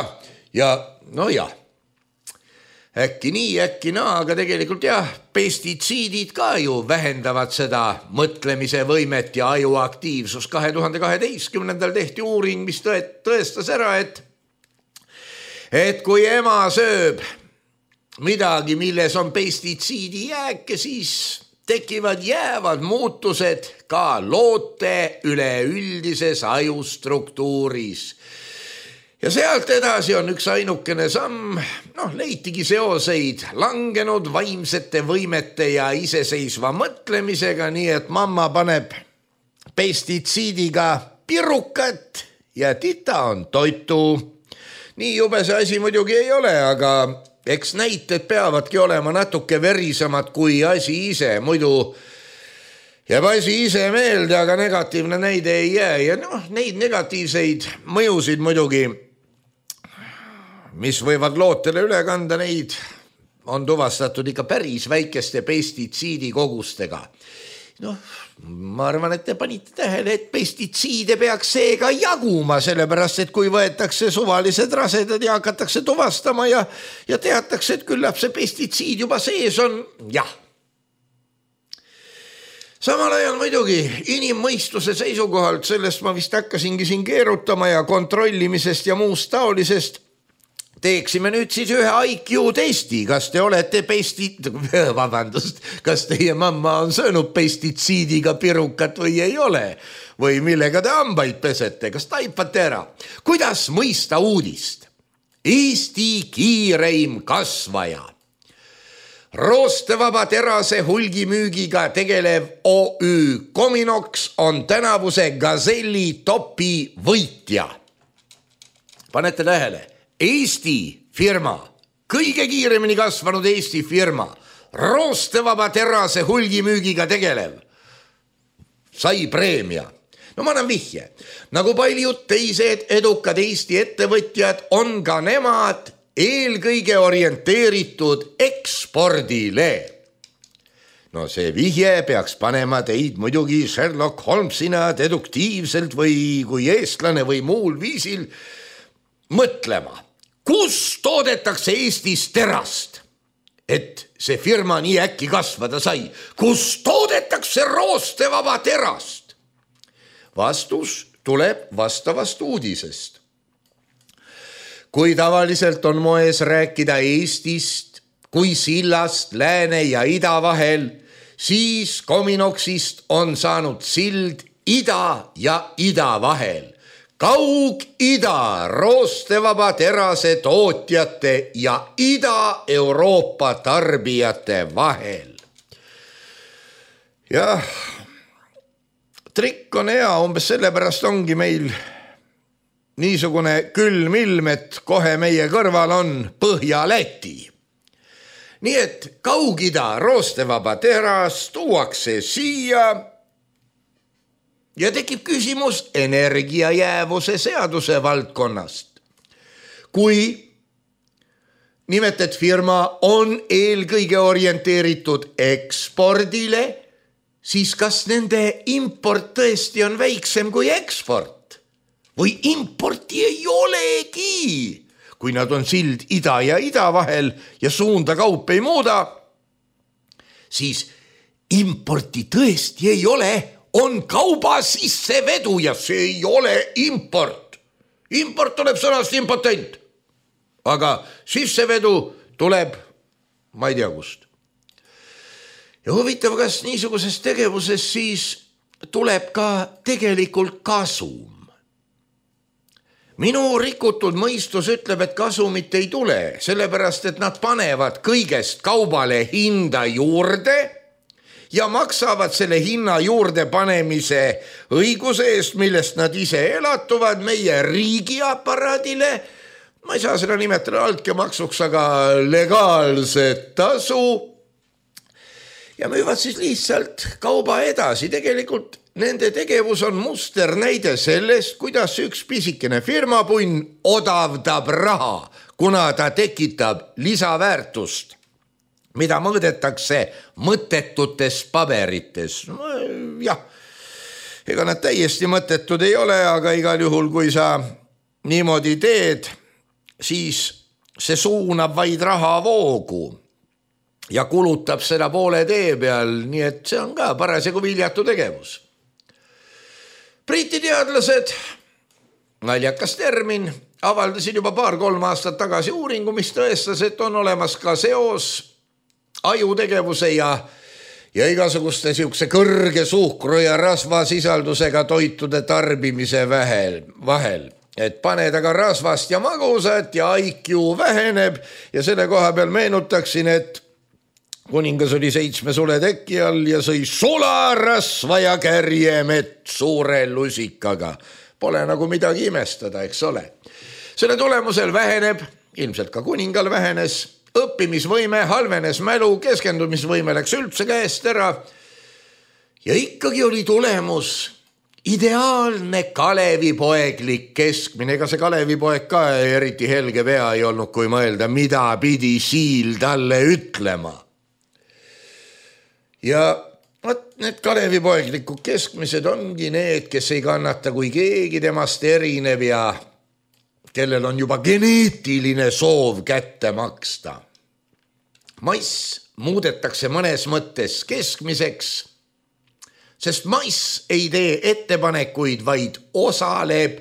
Speaker 3: ja no jah. Äkki nii, äkki naa, aga tegelikult jah, pestitsiidid ka ju vähendavad seda mõtlemise võimet ja ajuaktiivsus. kahe tuhande kaheteistkümnendal tehti uuring, mis tõestas ära, et et kui ema sööb midagi, milles on pestitsiidi jääke, siis tekivad jäävad muutused ka loote üleüldises ajustruktuuris. Ja sealt edasi on üks ainukene samm, noh, leitigi seoseid langenud vaimsete võimete ja iseseisva mõtlemisega, nii et mamma paneb pestitsiidiga pirukat ja tita on toitu. Nii jube see asi muidugi ei ole, aga eks näited peavadki olema natuke verisemad kui asi ise, muidu jääb asi ise meelde, aga negatiivne näide ei jää. Ja noh, neid negatiivseid mõjusid muidugi, mis võivad lootele üle kanda, neid on tuvastatud ikka päris väikeste pestitsiidi kogustega. Noh, ma arvan, et te panite tähele, et pestitsiide peaks seega jaguma, sellepärast, et kui võetakse suvalised rasedad ja hakatakse tuvastama ja, ja teatakse, et küllap see pestitsiid juba sees on, jah. Samal ajal muidugi inimmõistuse seisukohalt, sellest ma vist hakkasingi siin keerutama ja kontrollimisest ja muust taolisest, teeksime nüüd siis ühe I Q testi, kas te olete pesti... vabandust, kas teie mamma on söönud pestitsiidiga pirukat või ei ole? Või millega te hambaid pesete, kas taipate ära? Kuidas mõista uudist? Eesti kiireim kasvaja. Roostevaba terase hulgimüügiga tegelev O Ü Cominox on tänavuse Gazelli topi võitja. Panete tähele, Eesti firma, kõige kiiremini kasvanud Eesti firma, roostevaba terase hulgimüügiga tegelev, sai preemia. No ma annan vihje, nagu paljud teised edukad Eesti ettevõtjad on ka nemad eelkõige orienteeritud ekspordile. No see vihje peaks panema teid muidugi Sherlock Holmesina deduktiivselt või kui eestlane või muul viisil mõtlema, kus toodetakse Eestis terast, et see firma nii äkki kasvada sai. Kus toodetakse roostevaba terast? Vastus tuleb vastavast uudisest. Kui tavaliselt on moes rääkida Eestist kui sillast lääne ja ida vahel, siis Cominoxist on saanud sild ida ja ida vahel. Kaug-ida roostevaba terase tootjate ja Ida-Euroopa tarbijate vahel. Jah, trikk on hea, umbes sellepärast ongi meil niisugune külm ilm, et kohe meie kõrval on Põhja-Läti. Nii et Kaug-ida roostevaba teras tuuakse siia ja tekib küsimus energiajäävuse seaduse valdkonnast. Kui nimetet firma on eelkõige orienteeritud ekspordile, siis kas nende import tõesti on väiksem kui eksport? Või importi ei olegi, kui nad on sild ida ja ida vahel ja suunda kaup ei muuda, siis importi tõesti ei ole, on kauba sissevedu ja see ei ole import. Import tuleb sõnast impotent, aga sissevedu tuleb, ma ei tea kust. Ja huvitav, kas niisuguses tegevuses siis tuleb ka tegelikult kasum. Minu rikutud mõistus ütleb, et kasumit ei tule, sellepärast, et nad panevad kõigest kaubale hinda juurde ja maksavad selle hinna juurde panemise õiguse eest, millest nad ise elatuvad meie riigiaparaadile. Ma ei saa seda nimetada altkäemaksuks, aga legaalset tasu. Ja müüvad siis lihtsalt kauba edasi. Tegelikult nende tegevus on muster näide sellest, kuidas üks pisikene firmapunn odavdab raha, kuna ta tekitab lisaväärtust, mida mõõdetakse mõttetutes paberites. Jah, ega nad täiesti mõttetud ei ole, aga igal juhul, kui sa niimoodi teed, siis see suunab vaid rahavoogu ja kulutab seda poole tee peal, nii et see on ka parasjagu viljatu tegevus. Briti teadlased, naljakas termin, avaldasid juba paar-kolm aastat tagasi uuringu, mis tõestas, et on olemas ka seos ajutegevuse ja, ja igasuguste siukse kõrge suhkru ja rasvasisaldusega toitude tarbimise vahel. Et paned aga rasvast ja magusat ja I Q väheneb ja selle koha peal meenutaksin, et kuningas oli seitsme sule teki all ja sõi sula, rasva ja kärjemett suure lusikaga. Pole nagu midagi imestada, eks ole. Selle tulemusel väheneb, ilmselt ka kuningal vähenes, õppimisvõime, halvenes mälu, keskendumisvõime läks üldse käest ära. Ja ikkagi oli tulemus ideaalne Kalevipoeglik keskmine. Ega see Kalevipoeg ka eriti helge pea ei olnud, kui mõelda, mida pidi siil talle ütlema. Ja võt, need Kalevipoeglikud keskmised ongi need, kes ei kannata, kui keegi temast erineb ja kellel on juba geneetiline soov kätte maksta. Mass muudetakse mõnes mõttes keskmiseks sest mass ei tee ettepanekuid, vaid osaleb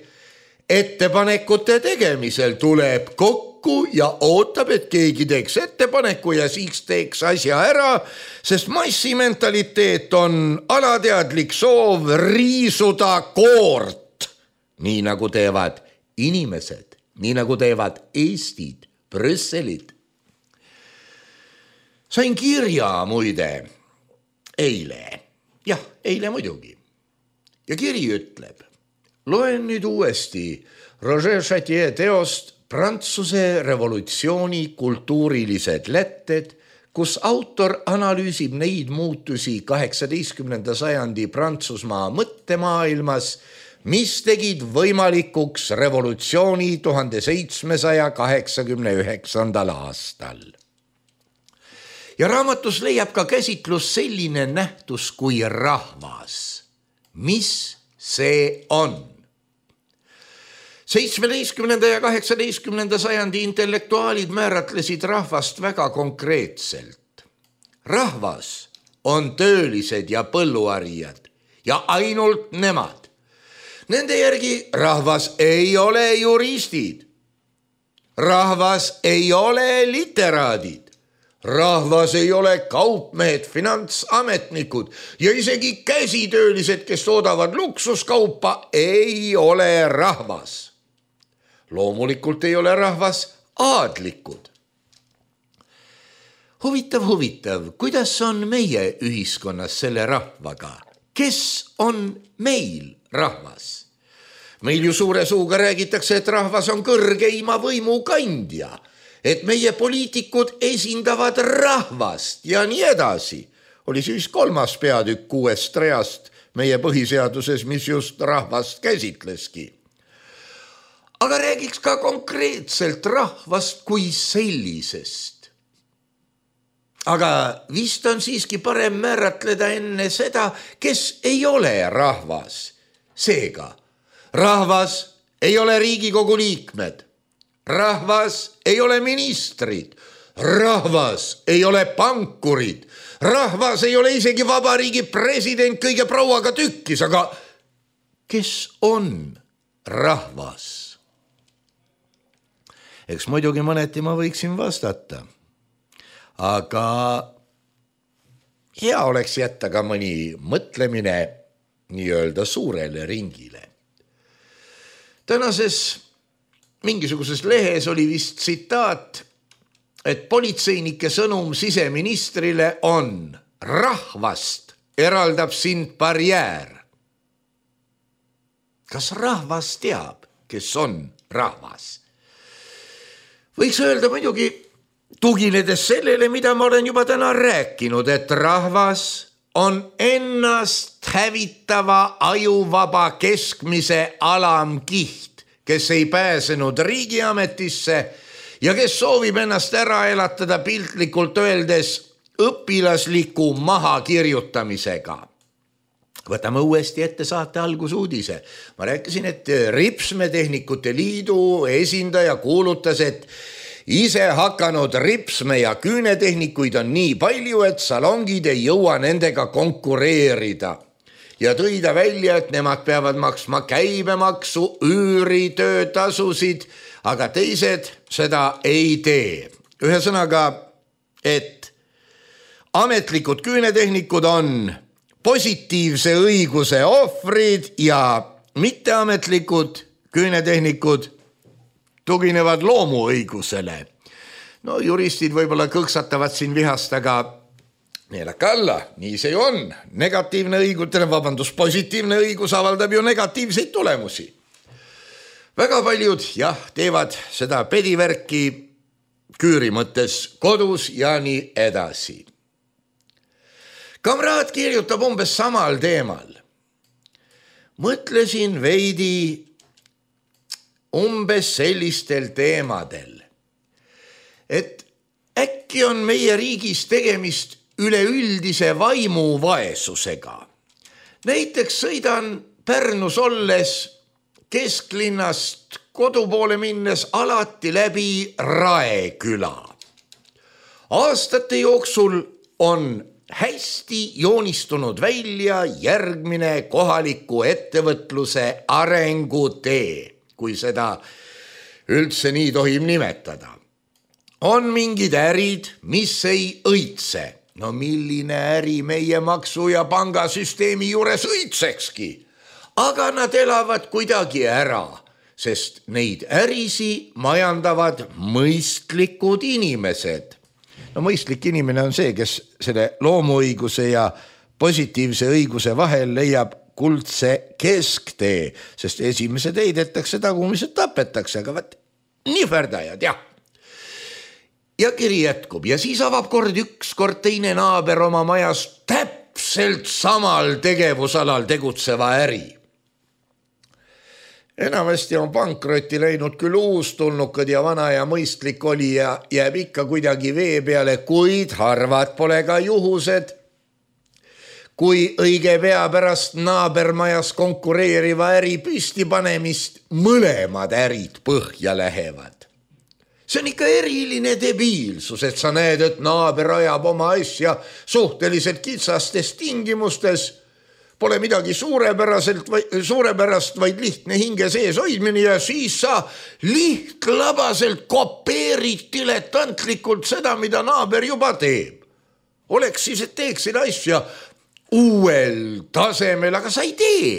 Speaker 3: ettepanekute tegemisel, tuleb kokku ja ootab, et keegi teeks ettepaneku ja siis teeks asja ära, sest massi mentaliteet on alateadlik soov riisuda koort, nii nagu teevad inimesed, nii nagu teevad Eestid, Brüsselid. Sain kirja muide eile, jah, eile muidugi. Ja kiri ütleb, loen nüüd uuesti Roger Chatier teost Prantsuse revolutsiooni kultuurilised lätted, kus autor analüüsib neid muutusi kaheksateistkümnenda sajandi Prantsusmaa mõttemaailmas, mis tegid võimalikuks revolutsiooni tuhande seitsmesaja kaheksakümne üheksandal aastal. Ja raamatus leiab ka käsitlus selline nähtus kui rahvas. Mis see on? seitsmeteistkümnenda ja kaheksateistkümnenda sajandi intellektuaalid määratlesid rahvast väga konkreetselt. Rahvas on töölised ja põlluarijad ja ainult nemad. Nende järgi rahvas ei ole juristid. Rahvas ei ole literaadid. Rahvas ei ole kaupmehed, finantsametnikud ja isegi käsitöölised, kes toodavad luksuskaupa, ei ole rahvas. Loomulikult ei ole rahvas aadlikud. Huvitav, huvitav, kuidas on meie ühiskonnas selle rahvaga? Kes on meil rahvas? Meil ju suure suuga räägitakse, et rahvas on kõrgeima võimu kandja, et meie poliitikud esindavad rahvast ja nii edasi. Oli siis kolmas peatükk kuuest reast meie põhiseaduses, mis just rahvast käsitleski. Aga räägiks ka konkreetselt rahvast kui sellisest. Aga vist on siiski parem määratleda enne seda, kes ei ole rahvas. Seega, rahvas ei ole Riigikogu liikmed. Rahvas ei ole ministrid. Rahvas ei ole pankurid. Rahvas ei ole isegi vabariigi president kõige prouaga tükkis. Aga kes on rahvas? Eks muidugi mõneti ma võiksin vastata. Aga hea oleks jätta ka mõni mõtlemine nii-öelda suurele ringile. Tänases mingisuguses lehes oli vist tsitaat, et politseinike sõnum siseministrile on: rahvast eraldab sind barjäär. Kas rahvas teab, kes on rahvas? Võiks öelda muidugi, tuginedes sellele, mida ma olen juba täna rääkinud, et rahvas on ennast hävitava ajuvaba keskmise alamkiht, kes ei pääsenud riigiametisse ja kes soovib ennast ära elatada piltlikult öeldes õpilasliku mahakirjutamisega. Võtame uuesti ette saate algusuudise. Ma rääkisin, et Ripsmetehnikute Liidu esindaja kuulutas, et ise hakanud ripsme- ja küünetehnikuid on nii palju, et salongid ei jõua nendega konkureerida. Ja tõi ta välja, et nemad peavad maksma käibemaksu, üüri, töötasusid, aga teised seda ei tee. Ühesõnaga, et ametlikud küünetehnikud on positiivse õiguse ohvrid ja mitteametlikud küünetehnikud tuginevad loomuõigusele. No juristid võib-olla kõksatavad siin vihast, aga neelake alla, nii see on. Negatiivne õigus, vabandus, positiivne õigus avaldab ju negatiivseid tulemusi. Väga paljud, jah, teevad seda pedivärki küüri mõttes kodus ja nii edasi. Kamraad kirjutab umbes samal teemal. Mõtlesin veidi umbes sellistel teemadel, et äkki on meie riigis tegemist üleüldise vaimuvaesusega. Näiteks sõidan Pärnus olles kesklinnast kodu poole minnes alati läbi Raeküla. Aastate jooksul on hästi joonistunud välja järgmine kohaliku ettevõtluse arengutee, kui seda üldse nii tohib nimetada. On mingid ärid, mis ei õitse. No milline äri meie maksu- ja pangasüsteemi juures õitsekski? Aga nad elavad kuidagi ära, sest neid ärisi majandavad mõistlikud inimesed. No mõistlik inimene on see, kes selle loomuõiguse ja positiivse õiguse vahel leiab kuldse kesktee, sest esimesed heidetakse, tagumised tapetakse, aga vaat nihverdajad, jah. Ja kiri jätkub ja siis avab kord üks kord teine naaber oma majas täpselt samal tegevusalal tegutseva äri. Enamasti on pankrotti läinud küll uustulnukad ja vana ja mõistlik oli ja jääb ikka kuidagi vee peale, kuid harvad pole ka juhused, kui õige pea pärast naabermajas konkureeriva äri püsti panemist mõlemad ärid põhja lähevad. See on ikka eriline debiilsus, et sa näed, et naaber ajab oma asja suhteliselt kitsastes tingimustes. Pole midagi suurepäraselt, suurepärast, vaid lihtne hinge sees hoidmine ja siis sa lihtlabaselt kopeerid diletantlikult seda, mida naaber juba teeb. Oleks siis, et teeksid asja uuel tasemel, aga sa ei tee.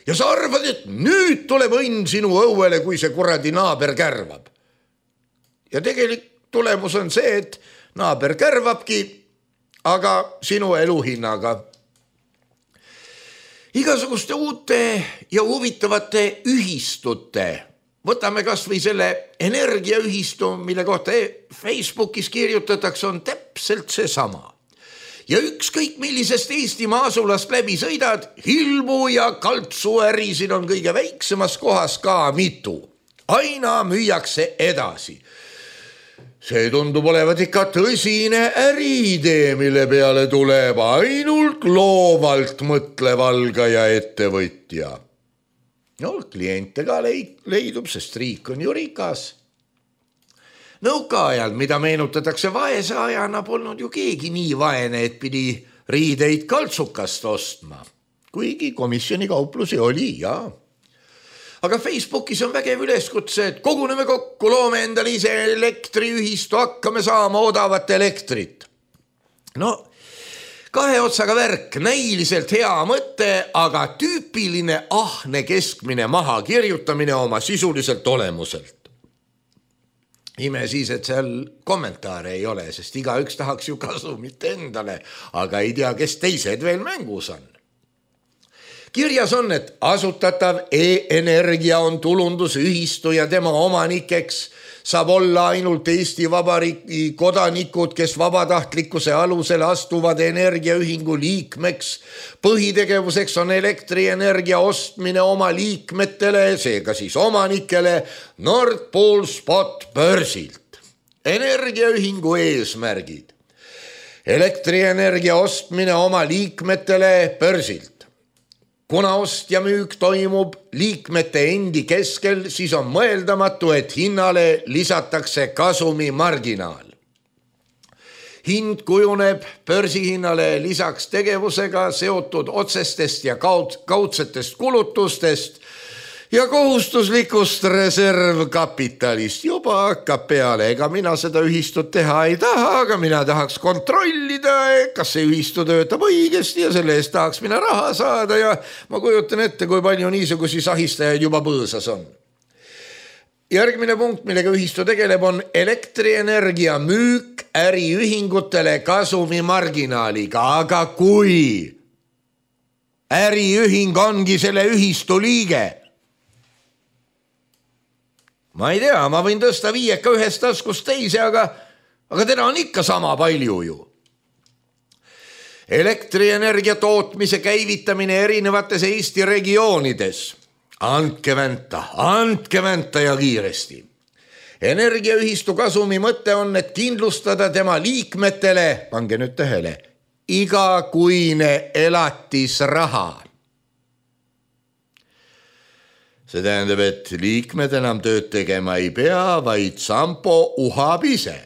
Speaker 3: Ja sa arvad, et nüüd tuleb õnn sinu õuele, kui see kuradi naaber kärvab. Ja tegelik tulemus on see, et naaber kärvabki, aga sinu eluhinnaga. Igasuguste uute ja huvitavate ühistute. Võtame kas või selle energiaühistu, mille kohta Facebookis kirjutatakse, on täpselt see sama. Ja ükskõik millisest Eestimaa asulast läbi sõidad, hilmu ja kaltsuärisid on kõige väiksemas kohas ka mitu. Aina müüakse edasi. See tundub olevat ikka tõsine äriidee, mille peale tuleb ainult loovalt mõtlev algaja ettevõtja. No, kliente ka leidub, sest riik on ju rikas. Nõukaajal, mida meenutatakse vaese ajana, polnud ju keegi nii vaene, et pidi riideid kaltsukast ostma. Kuigi komisjoni kauplusi oli, jaa. Aga Facebookis on vägev üleskutse, et koguneme kokku, loome endale ise elektriühistu, hakkame saama odavat elektrit. No, kahe otsaga värk, näiliselt hea mõte, aga tüüpiline ahne keskmine maha kirjutamine oma sisuliselt olemuselt. Ime siis, et seal kommentaare ei ole, sest iga üks tahaks ju kasumit endale, aga ei tea, kes teised veel mängus on. Kirjas on, et asutatav e-energia on tulundusühistu ja tema omanikeks saab olla ainult Eesti Vabariigi kodanikud, kes vabatahtlikkuse alusel astuvad energiaühingu liikmeks. Põhitegevuseks on elektrienergia ostmine oma liikmetele, seega siis omanikele Nord Pool Spot börsilt. Energiaühingu eesmärgid. Elektrienergia ostmine oma liikmetele börsilt. Kuna ost ja müük toimub liikmete endi keskel, siis on mõeldamatu, et hinnale lisatakse kasumi marginaal. Hind kujuneb börsihinnale lisaks tegevusega seotud otsestest ja kaudsetest kulutustest ja kohustuslikust reservkapitalist. Juba hakkab peale, ega mina seda ühistut teha ei taha, aga mina tahaks kontrollida, kas see ühistu töötab õigesti ja selle eest tahaks mina raha saada ja ma kujutan ette, kui palju niisugusi sahistajaid juba põõsas on. Järgmine punkt, millega ühistu tegeleb, on elektrienergia müük äriühingutele kasumi marginaaliga, aga kui äriühing ongi selle ühistu liige, ma ei tea, ma võin tõsta viieka ühest taskust teise, aga, aga teda on ikka sama palju ju. Elektrienergia tootmise käivitamine erinevates Eesti regioonides. Andke vänta, andke vänta ja kiiresti. Energiaühistu kasumi mõte on, et kindlustada tema liikmetele, pange nüüd tähele, igakuine elatisraha. See tähendab, et liikmed enam tööd tegema ei pea, vaid Sampo uhab ise.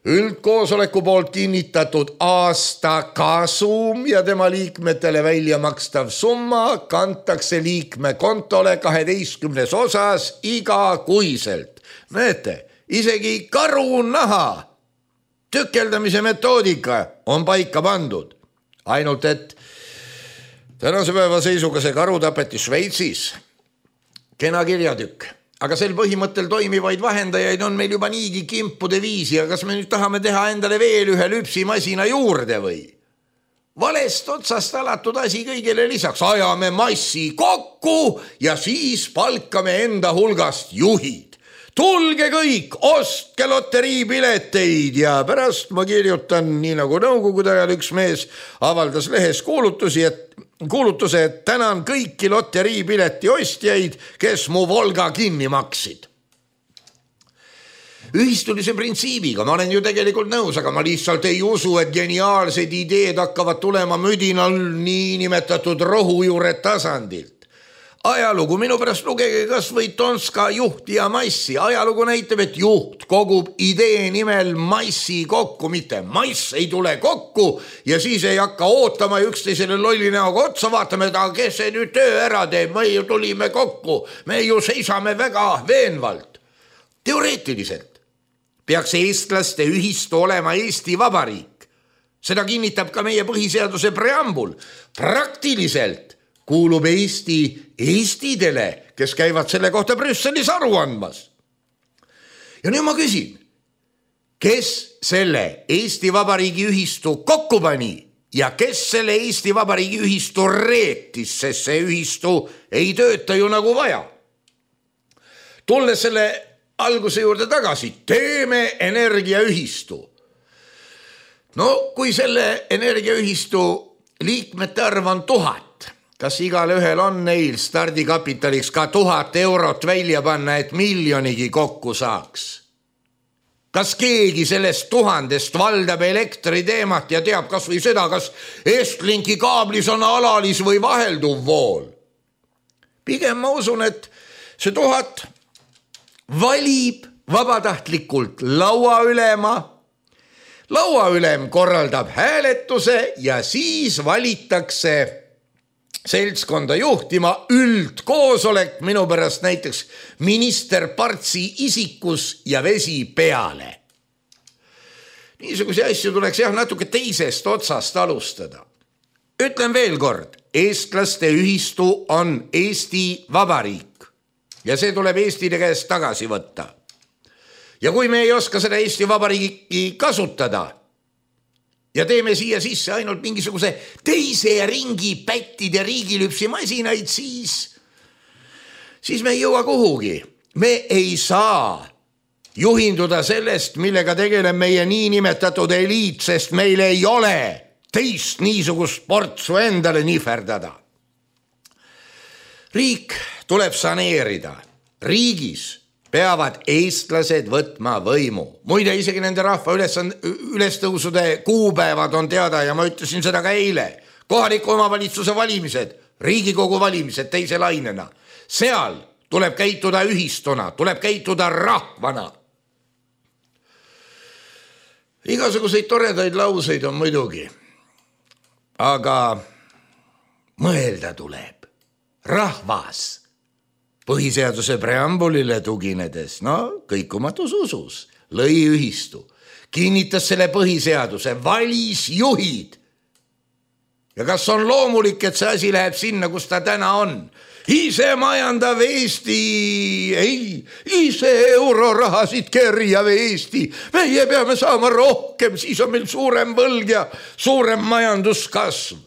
Speaker 3: üldkoosoleku poolt kinnitatud aasta kasum ja tema liikmetele välja makstav summa kantakse liikme kontole kaheteistkümnes osas igakuiselt. Näete, isegi karunaha tükeldamise metoodika on paika pandud. Ainult, et tänase päeva seisuga see karu tapeti Šveitsis. Kena kirjatükk. Aga sel põhimõttel toimivaid vahendajaid on meil juba niigi kimpude viisi, ja kas me nüüd tahame teha endale veel ühe lüpsimasina juurde või? Valest otsast alatud asi kõigele lisaks. Ajame massi kokku ja siis palkame enda hulgast juhid. Tulge kõik, ostke loteriipileteid ja pärast ma kirjutan, nii nagu nõukogude ajal üks mees avaldas lehes kuulutusi, et kuulutuse, et tänan kõiki loteriipileti ostjaid, kes mu Volga kinni maksid. Ühistulise printsiibiga ma olen ju tegelikult nõus, aga ma lihtsalt ei usu, et geniaalsed ideed hakkavad tulema müdinal niinimetatud rohujuure tasandilt. Ajalugu, minu pärast lugege kas või Tonska juhti ja massi. Ajalugu näitab, et juht kogub idee nimel massi kokku, mitte mass ei tule kokku ja siis ei hakka ootama üksteisele lolli näoga otsa, vaatame, et kes see nüüd töö ära teeb, me ju tulime kokku, me ju seisame väga veenvalt. Teoreetiliselt peaks eestlaste ühistu olema Eesti Vabariik. Seda kinnitab ka meie põhiseaduse preambul. Praktiliselt kuulub Eesti Eestidele, kes käivad selle kohta Brüsselis aru andmas. Ja nüüd ma küsin, kes selle Eesti Vabariigi ühistu kokku pani ja kes selle Eesti Vabariigi ühistu reetis, sest see ühistu ei tööta ju nagu vaja. Tulles selle alguse juurde tagasi, teeme energiaühistu. No kui selle energiaühistu liikmete arv on tuhat, kas igale ühel on neil stardikapitaliks ka tuhat eurot välja panna, et miljonigi kokku saaks? Kas keegi sellest tuhandest valdab elektri teemat ja teab kas või seda, kas Estlinki kaablis on alalis või vahelduv vool? Pigem ma usun, et see tuhat valib vabatahtlikult lauaülema. Lauaülem korraldab hääletuse ja siis valitakse seltskonda juhtima üldkoosolek, minu pärast näiteks minister Partsi isikus ja vesi peale. Niisuguse asju tuleks jah natuke teisest otsast alustada. Ütlen veel kord, eestlaste ühistu on Eesti Vabariik ja see tuleb Eestile käest tagasi võtta. Ja kui me ei oska seda Eesti Vabariigi kasutada, ja teeme siia sisse ainult mingisuguse teise ringi pättide riigilüpsimasinaid, siis, siis me ei jõua kuhugi. Me ei saa juhinduda sellest, millega tegeleb meie niinimetatud eliit, sest meil ei ole teist niisugust portsu endale nihverdada. Riik tuleb saneerida. Riigis peavad eestlased võtma võimu. Muide, isegi nende rahva ülestõusude kuupäevad on teada ja ma ütlesin seda ka eile. Kohaliku omavalitsuse valimised, Riigikogu valimised teise lainena. Seal tuleb käituda ühistuna, tuleb käituda rahvana. Igasuguseid toredaid lauseid on muidugi, aga mõelda tuleb. Rahvas põhiseaduse preambulile tuginedes, no kõikumatus usus, lõi ühistu, kinnitas selle põhiseaduse, valis juhid. Ja kas on loomulik, et see asi läheb sinna, kus ta täna on? Ise majandav Eesti, ei, ise eurorahasid kerjav Eesti. Meie peame saama rohkem, siis on meil suurem võlg ja suurem majanduskasv.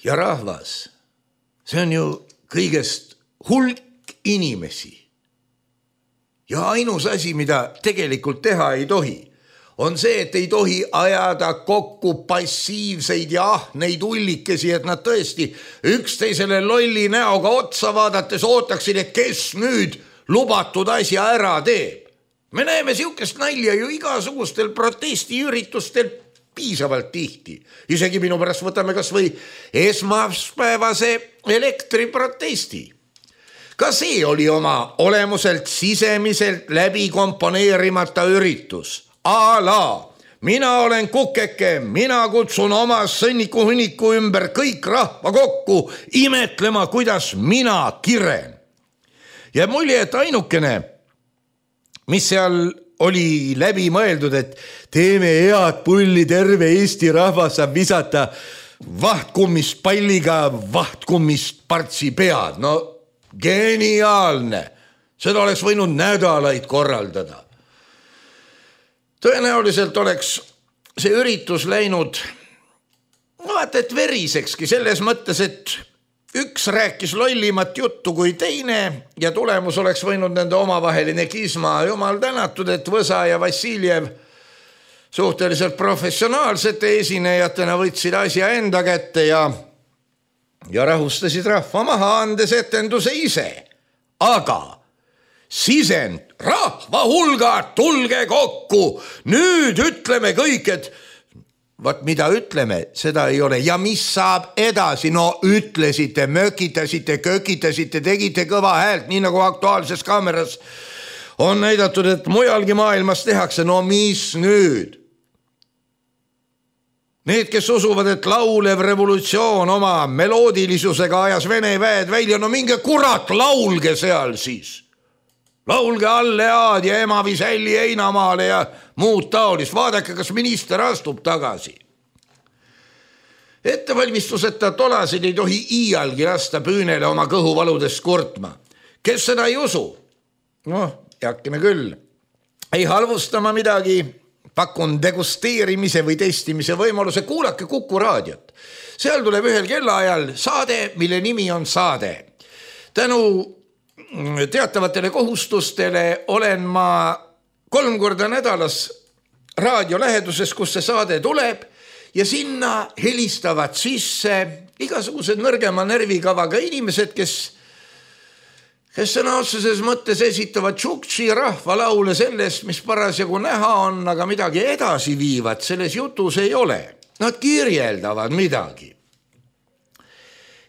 Speaker 3: Ja rahvas, see on ju kõigest hulk inimesi. Ja ainus asi, mida tegelikult teha ei tohi, on see, et ei tohi ajada kokku passiivseid ja ahneid ullikesi, et nad tõesti üksteisele lolli näoga otsa vaadates ootaksid, et kes nüüd lubatud asja ära teeb. Me näeme siukest nalja ju igasugustel protestiüritustel piisavalt tihti. Isegi minu pärast võtame kas või esmaspäevase elektriprotesti. Ka see oli oma olemuselt sisemiselt läbi komponeerimata üritus. A la, mina olen kukeke, mina kutsun oma sõnniku hunniku ümber kõik rahva kokku imetlema, kuidas mina kiren. Ja mulje, et ainukene, mis seal oli läbi mõeldud, et teeme head pulli, terve Eesti rahvas saab visata vahtkummist palliga vahtkummist partsi pead. No geniaalne. Seda oleks võinud nädalaid korraldada. Tõenäoliselt oleks see üritus läinud, no vaata, et verisekski selles mõttes, et üks rääkis lollimat juttu kui teine ja tulemus oleks võinud nende omavaheline kisma. Jumal tänatud, et Võsa ja Vassiljev suhteliselt professionaalsete esinejatena võtsid asja enda kätte ja, ja rahustasid rahva maha, andes etenduse ise. Aga sisend, rahva hulgad, tulge kokku, nüüd ütleme kõik, et vaat mida ütleme, seda ei ole. Ja mis saab edasi? No ütlesite, mökitasite, kökitasite, tegite kõva häält, nii nagu Aktuaalses Kaameras on näidatud, et mujalgi maailmas tehakse. No mis nüüd? Need, kes usuvad, et laulev revolutsioon oma meloodilisusega ajas Vene väed välja, no minge kurat, laulge seal siis. Laulge Allead ja ema Visälli Einamaale ja muud taolist. Vaadake, kas minister astub tagasi. Ettevalmistuseta tolasid ei tohi iialgi lasta püünele oma kõhuvaludest kurtma. Kes seda ei usu? Noh, jakkime küll. Ei halvustama midagi. Pakun degusteerimise või testimise võimaluse. Kuulake Kuku raadiot. Seal tuleb ühel kellaajal saade, mille nimi on Saade. Tänu teatavatele kohustustele olen ma kolm korda nädalas raadio läheduses, kus see saade tuleb ja sinna helistavad sisse igasugused nõrgema närvikavaga inimesed, kes kes sõna otseses mõttes esitavad tšuktši rahvalaule sellest, mis parasjagu näha on, aga midagi edasi viivad, selles jutus ei ole. Nad kirjeldavad midagi.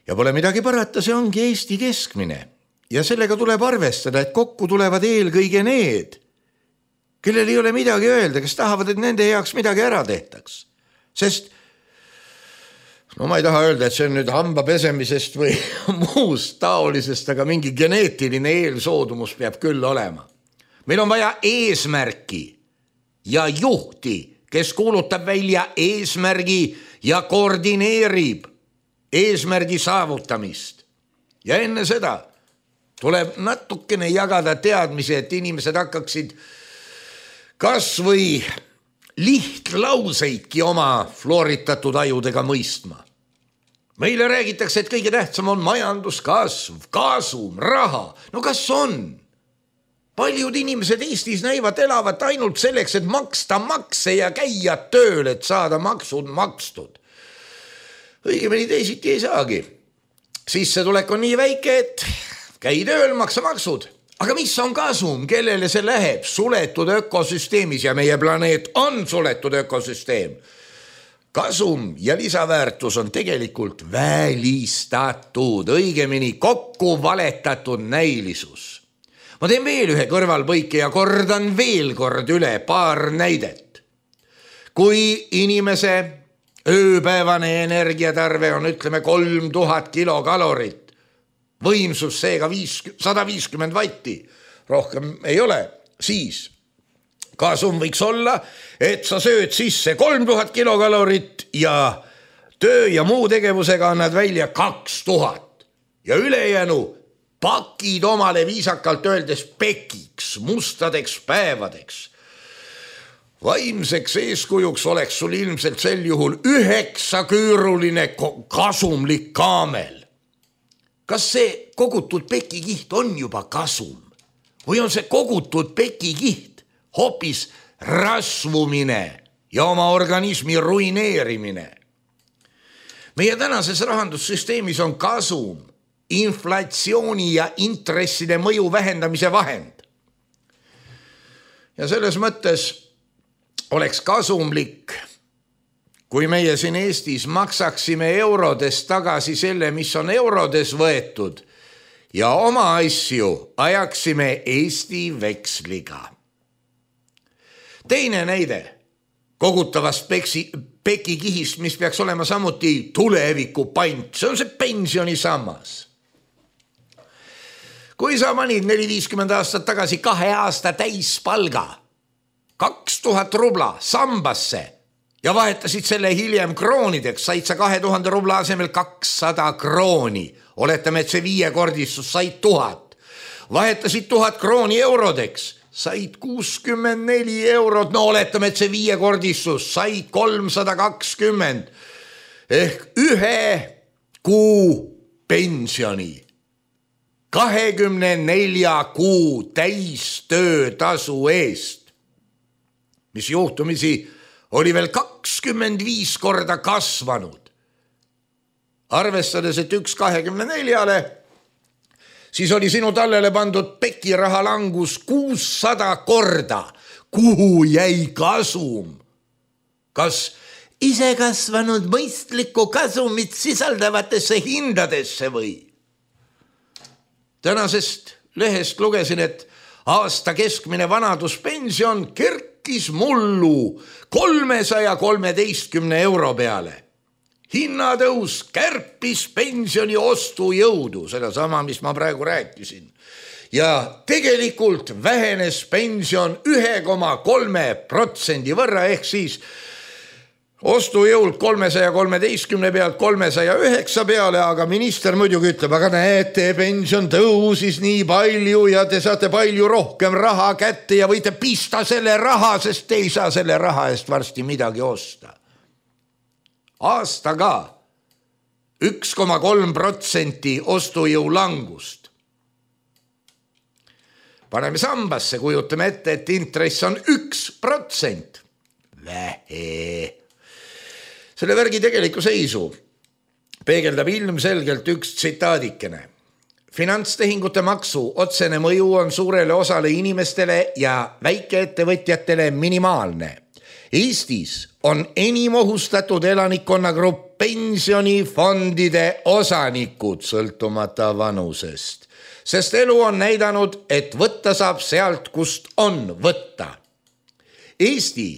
Speaker 3: Ja pole midagi parata, see ongi Eesti keskmine. Ja sellega tuleb arvestada, et kokku tulevad eelkõige need, kellel ei ole midagi öelda, kes tahavad, et nende heaks midagi ära tehtaks. Sest no ma ei taha öelda, et see on nüüd hamba pesemisest või muust taolisest, aga mingi geneetiline eelsoodumus peab küll olema. Meil on vaja eesmärki ja juhti, kes kuulutab välja eesmärgi ja koordineerib eesmärgi saavutamist. Ja enne seda tuleb natukene jagada teadmisi, et inimesed hakkaksid kas või lihtlauseidki oma flooritatud ajudega mõistma. Meile räägitakse, et kõige tähtsam on majanduskasv, kasum, raha. No kas on? Paljud inimesed Eestis näivad elavat ainult selleks, et maksta makse ja käia tööl, et saada maksud makstud. Õigemini teisiti ei saagi. Sissetulek on nii väike, et käi tööl, maksa maksud. Aga mis on kasum, kellele see läheb? Suletud ökosüsteemis ja meie planeet on suletud ökosüsteem. Kasum ja lisaväärtus on tegelikult välistatud, õigemini kokku valetatud näilisus. Ma teen veel ühe kõrvalpõike ja kordan veel kord üle paar näidet. Kui inimese ööpäevane energiatarve on, ütleme, kolm tuhat kilokalorit, võimsus seega sada viiskümmend vatti, rohkem ei ole, siis kasum võiks olla, et sa sööd sisse kolm tuhat kilokalorit ja töö ja muu tegevusega annad välja kaks tuhat ja ülejäänu pakid omale viisakalt öeldes pekiks, mustadeks päevadeks. Vaimseks eeskujuks oleks sul ilmselt sel juhul üheksaküüruline kasumlik kaamel. Kas see kogutud pekikiht on juba kasum või on see kogutud pekikiht hoopis rasvumine ja oma organismi ruineerimine? Meie tänases rahandussüsteemis on kasum inflatsiooni ja intresside mõju vähendamise vahend. Ja selles mõttes oleks kasumlik, kui meie siin Eestis maksaksime eurodes tagasi selle, mis on eurodes võetud ja oma asju ajaksime Eesti veksliga. Teine näide kogutavast peksi, pekikihist, mis peaks olema samuti tuleviku pant, see on see pensionisammas. Kui sa panid neli viiskümmend aastat tagasi kahe aasta täispalga, kaks tuhat rubla sambasse ja vahetasid selle hiljem kroonideks, said sa kahe tuhande rubla asemel kakssada krooni. Oletame, et see viiekordistus said tuhat. Vahetasid tuhat krooni eurodeks, said kuuskümmend neli eurot. No oletame, et see viiekordistus said kolmsada kakskümmend ehk ühe kuu pensioni. kahekümne nelja kuu täistöötasu eest, mis juhtumisi oli veel kakskümmend viis korda kasvanud. Arvestades, et üks kahekümne neljale, siis oli sinu tallele pandud pekiraha langus kuussada korda. Kuhu jäi kasum? Kas isekasvanud mõistlikku kasumit sisaldavatesse hindadesse või? Tänasest lehest lugesin, et aasta keskmine vanaduspension kerkis mullu kolmesaja kolmeteistkümne euro peale. Hinnatõus kärpis pensioni ostujõudu, seda sama, mis ma praegu rääkisin. Ja tegelikult vähenes pension ühe koma kolme protsendi võrra ehk siis ostujõult kolmesaja kolmeteistkümne pealt kolmesaja üheksa peale, aga minister muidugi ütleb, aga näete, pension tõusis nii palju ja te saate palju rohkem raha kätte ja võite pista selle raha, sest te ei saa selle raha eest varsti midagi osta. Aastaga üks koma kolm protsenti ostujõu langust. Paneme sambasse, kujutame ette, et intress on üks protsent. Vähe. Selle värgi tegeliku seisu peegeldab ilmselgelt üks tsitaadikene. Finantstehingute maksu otsene mõju on suurele osale inimestele ja väikeettevõtjatele minimaalne. Eestis on enim ohustatud elanikkonnagrupp pensionifondide osanikud sõltumata vanusest, sest elu on näidanud, et võtta saab sealt, kust on võtta. Eesti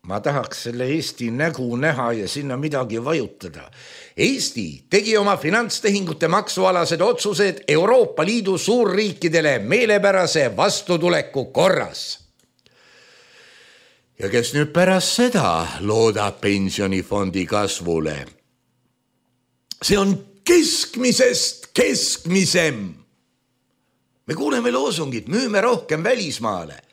Speaker 3: Ma tahaks selle Eesti nägu näha ja sinna midagi vajutada. Eesti tegi oma finantstehingute maksualased otsused Euroopa Liidu suurriikidele meelepärase vastutuleku korras. Ja kes nüüd pärast seda loodab pensionifondi kasvule? See on keskmisest keskmisem. Me kuuleme loosungit, müüme rohkem välismaale.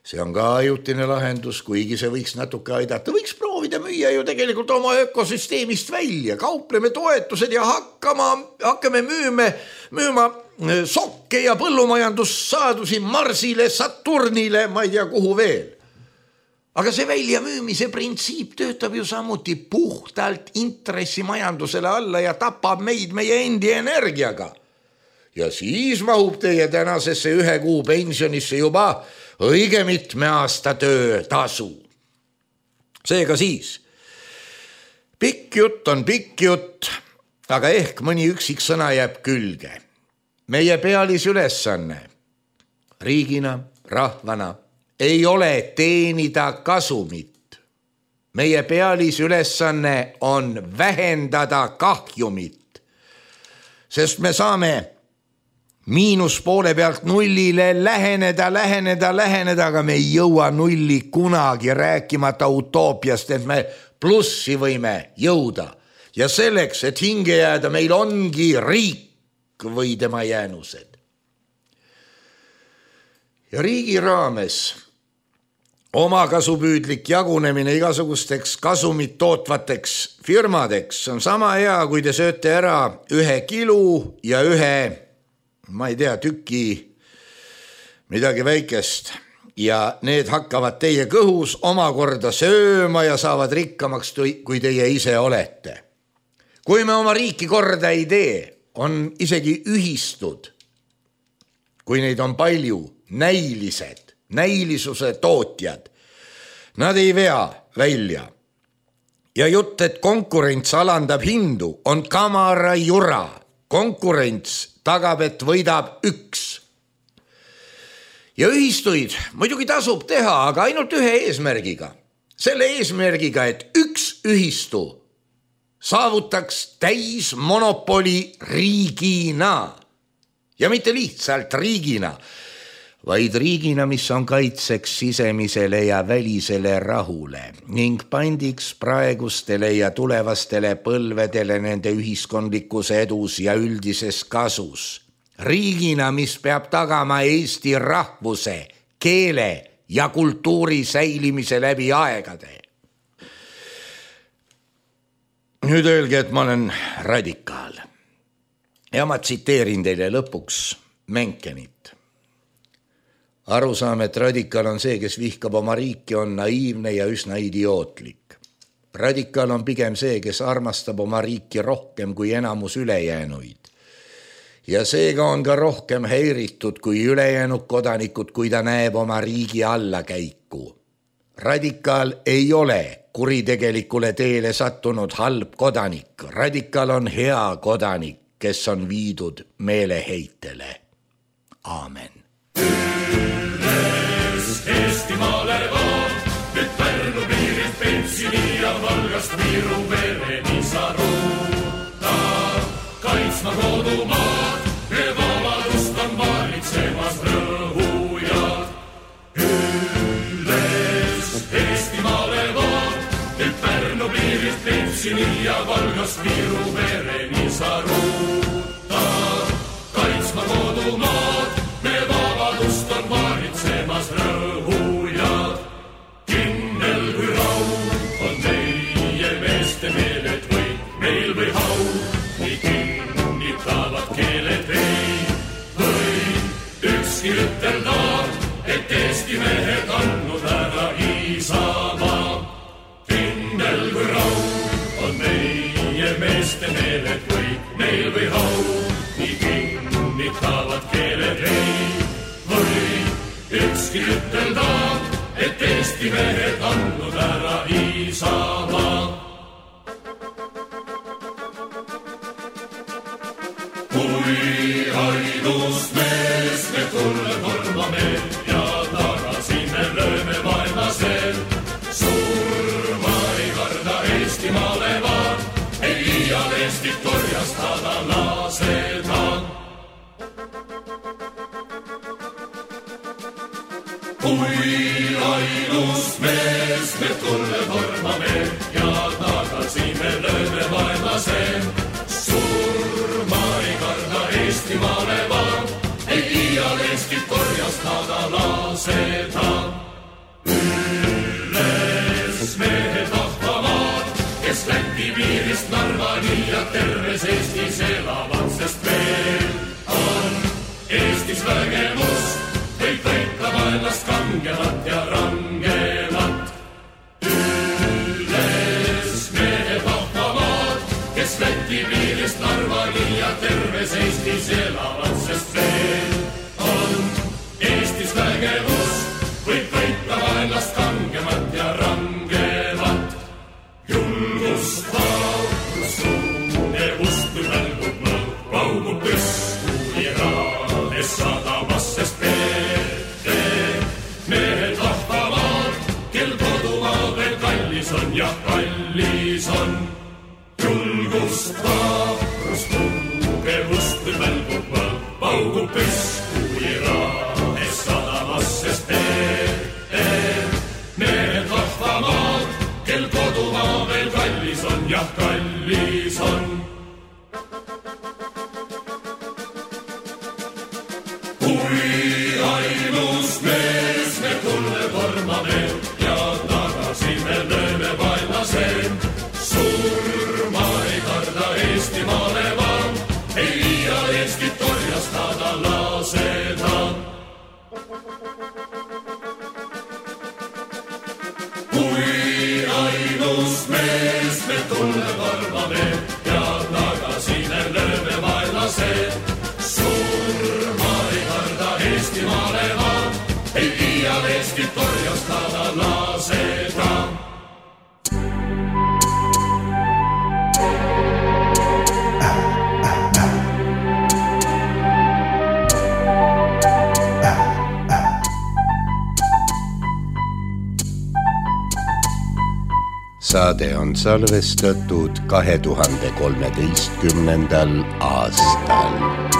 Speaker 3: See on ka ajutine lahendus, kuigi see võiks natuke aidata. Võiks proovida müüa ju tegelikult oma ökosüsteemist välja. Kaupleme toetused ja hakkama, hakkame müüme, müüma sokke ja põllumajandussaadusi Marsile, Saturnile, ma ei tea kuhu veel. Aga see väljamüümise printsiip töötab ju samuti puhtalt intressimajandusele alla ja tapab meid meie endi energiaga. Ja siis mahub teie tänasesse ühe kuu pensionisse juba õige mitme aasta töötasu. Seega siis, pikk jutt on pikk jutt, aga ehk mõni üksik sõna jääb külge. Meie pealisülesanne riigina, rahvana ei ole teenida kasumit. Meie pealisülesanne on vähendada kahjumit, sest me saame miinus poole pealt nullile läheneda, läheneda, läheneda, aga me ei jõua nulli kunagi, rääkimata utoopiast, et me plussi võime jõuda. Ja selleks, et hinge jääda, meil ongi riik või tema jäänused. Ja riigi raames oma kasupüüdlik jagunemine igasugusteks kasumit tootvateks firmadeks on sama hea, kui te sööte ära ühe kilu ja ühe ma ei tea, tüki midagi väikest ja need hakkavad teie kõhus omakorda sööma ja saavad rikkamaks, kui teie ise olete. Kui me oma riiki korda ei tee, on isegi ühistud, kui neid on palju, näilised, näilisuse tootjad. Nad ei vea välja. Ja jutt, et konkurents alandab hindu, on kamara jura. konkurents tagab, et võidab üks. Ja ühistuid muidugi tasub teha, aga ainult ühe eesmärgiga. Selle eesmärgiga, et üks ühistu saavutaks täis monopoli riigina. Ja mitte lihtsalt riigina, vaid riigina, mis on kaitseks sisemisele ja välisele rahule ning pandiks praegustele ja tulevastele põlvedele nende ühiskondlikus edus ja üldises kasus. Riigina, mis peab tagama Eesti rahvuse, keele ja kultuuri säilimise läbi aegade. Nüüd öelge, et ma olen radikaal. Ja ma tsiteerin teile lõpuks Menkenit. Aru saame, et radikaal on see, kes vihkab oma riiki, on naiivne ja üsna idiootlik. Radikaal on pigem see, kes armastab oma riiki rohkem kui enamus ülejäänuid. Ja seega on ka rohkem häiritud kui ülejäänud kodanikud, kui ta näeb oma riigi allakäiku. Radikaal ei ole kuritegelikule teele sattunud halb kodanik. Radikaal on hea kodanik, kes on viidud meeleheitele. Aamen.
Speaker 4: Üles Eestimaale vaan, nüüd Pärnu piirilt Pentsini ja Valgast Viru vereni sa ruuta. Kaitsma kodumaad, me vabadust on valitsemas rõhujad. Üles Eestimaale vaan, nüüd Pärnu piirilt Pentsini ja Valgast Viru vereni sa ruuta. Kaitsma kodumaad, me vabadust on valitsemas rõhujad. Kindel kui raud on meie meeste meeled või meil või hau, nii kinnitavad keeled ei või ükski ütelda, et Eesti mehed andnud ära Isamaa. Kindel kui raud on meie meeste meeled või meil või hau, nii kinnitavad keeled ei või ükski ütelda, et Eesti mehed andnud ära Isamaa. Kui ainus mees me tulle tormame ja tagasi me lööme vaenlasel, surma ei karda Eestimaale vaan, ei iial Eestit korjastada lasedan. Kui ainus mees me tulle tormame ja tagasi me lööme vaenlasel, surma ei karda Eestimaale vaan, ei iial Eestit korjastada lasedan. Üles mehed vahvamaad, kes Läti piirist Narvani ja terves Eestis elavad, sest veel on Eestis vägemus, võib võita vaenlast kangemat ja rangemat. Üles mehed vahvamaad, kes Läti piirist Narvani ja terves Eestis elavad, sest veel on Eestis vägevus, võib võita vaenlast kangemat ja rangemat. Julgust, vaurust, tunnevust, välgub mõõg, paugub püsku Iraades sadamas, sest veel mehed vahvamaad, kel kodumaa veel kallis on ja kallis on. Julgust, vaurust, tugevust, välgub mõõg, paugub püsku Iraades sadamas, sest veel mehed vahvamaad, kel kodumaa veel kallis on ja kallis on. Kui ainus mees me tulle tormame ja tagasi me lööme vaenlasel, surma ei karda Eestimaale vaan, ei iial Eestit korjastada lasedan. Kui ainus mees me tulle tormame ja tagasi me lööme vaenlasel, surma ei karda Eestimaale vaan, ei iial Eestit korjastada lasedan.
Speaker 3: saade on salvestatud kahe tuhande kolmeteistkümnendal aastal.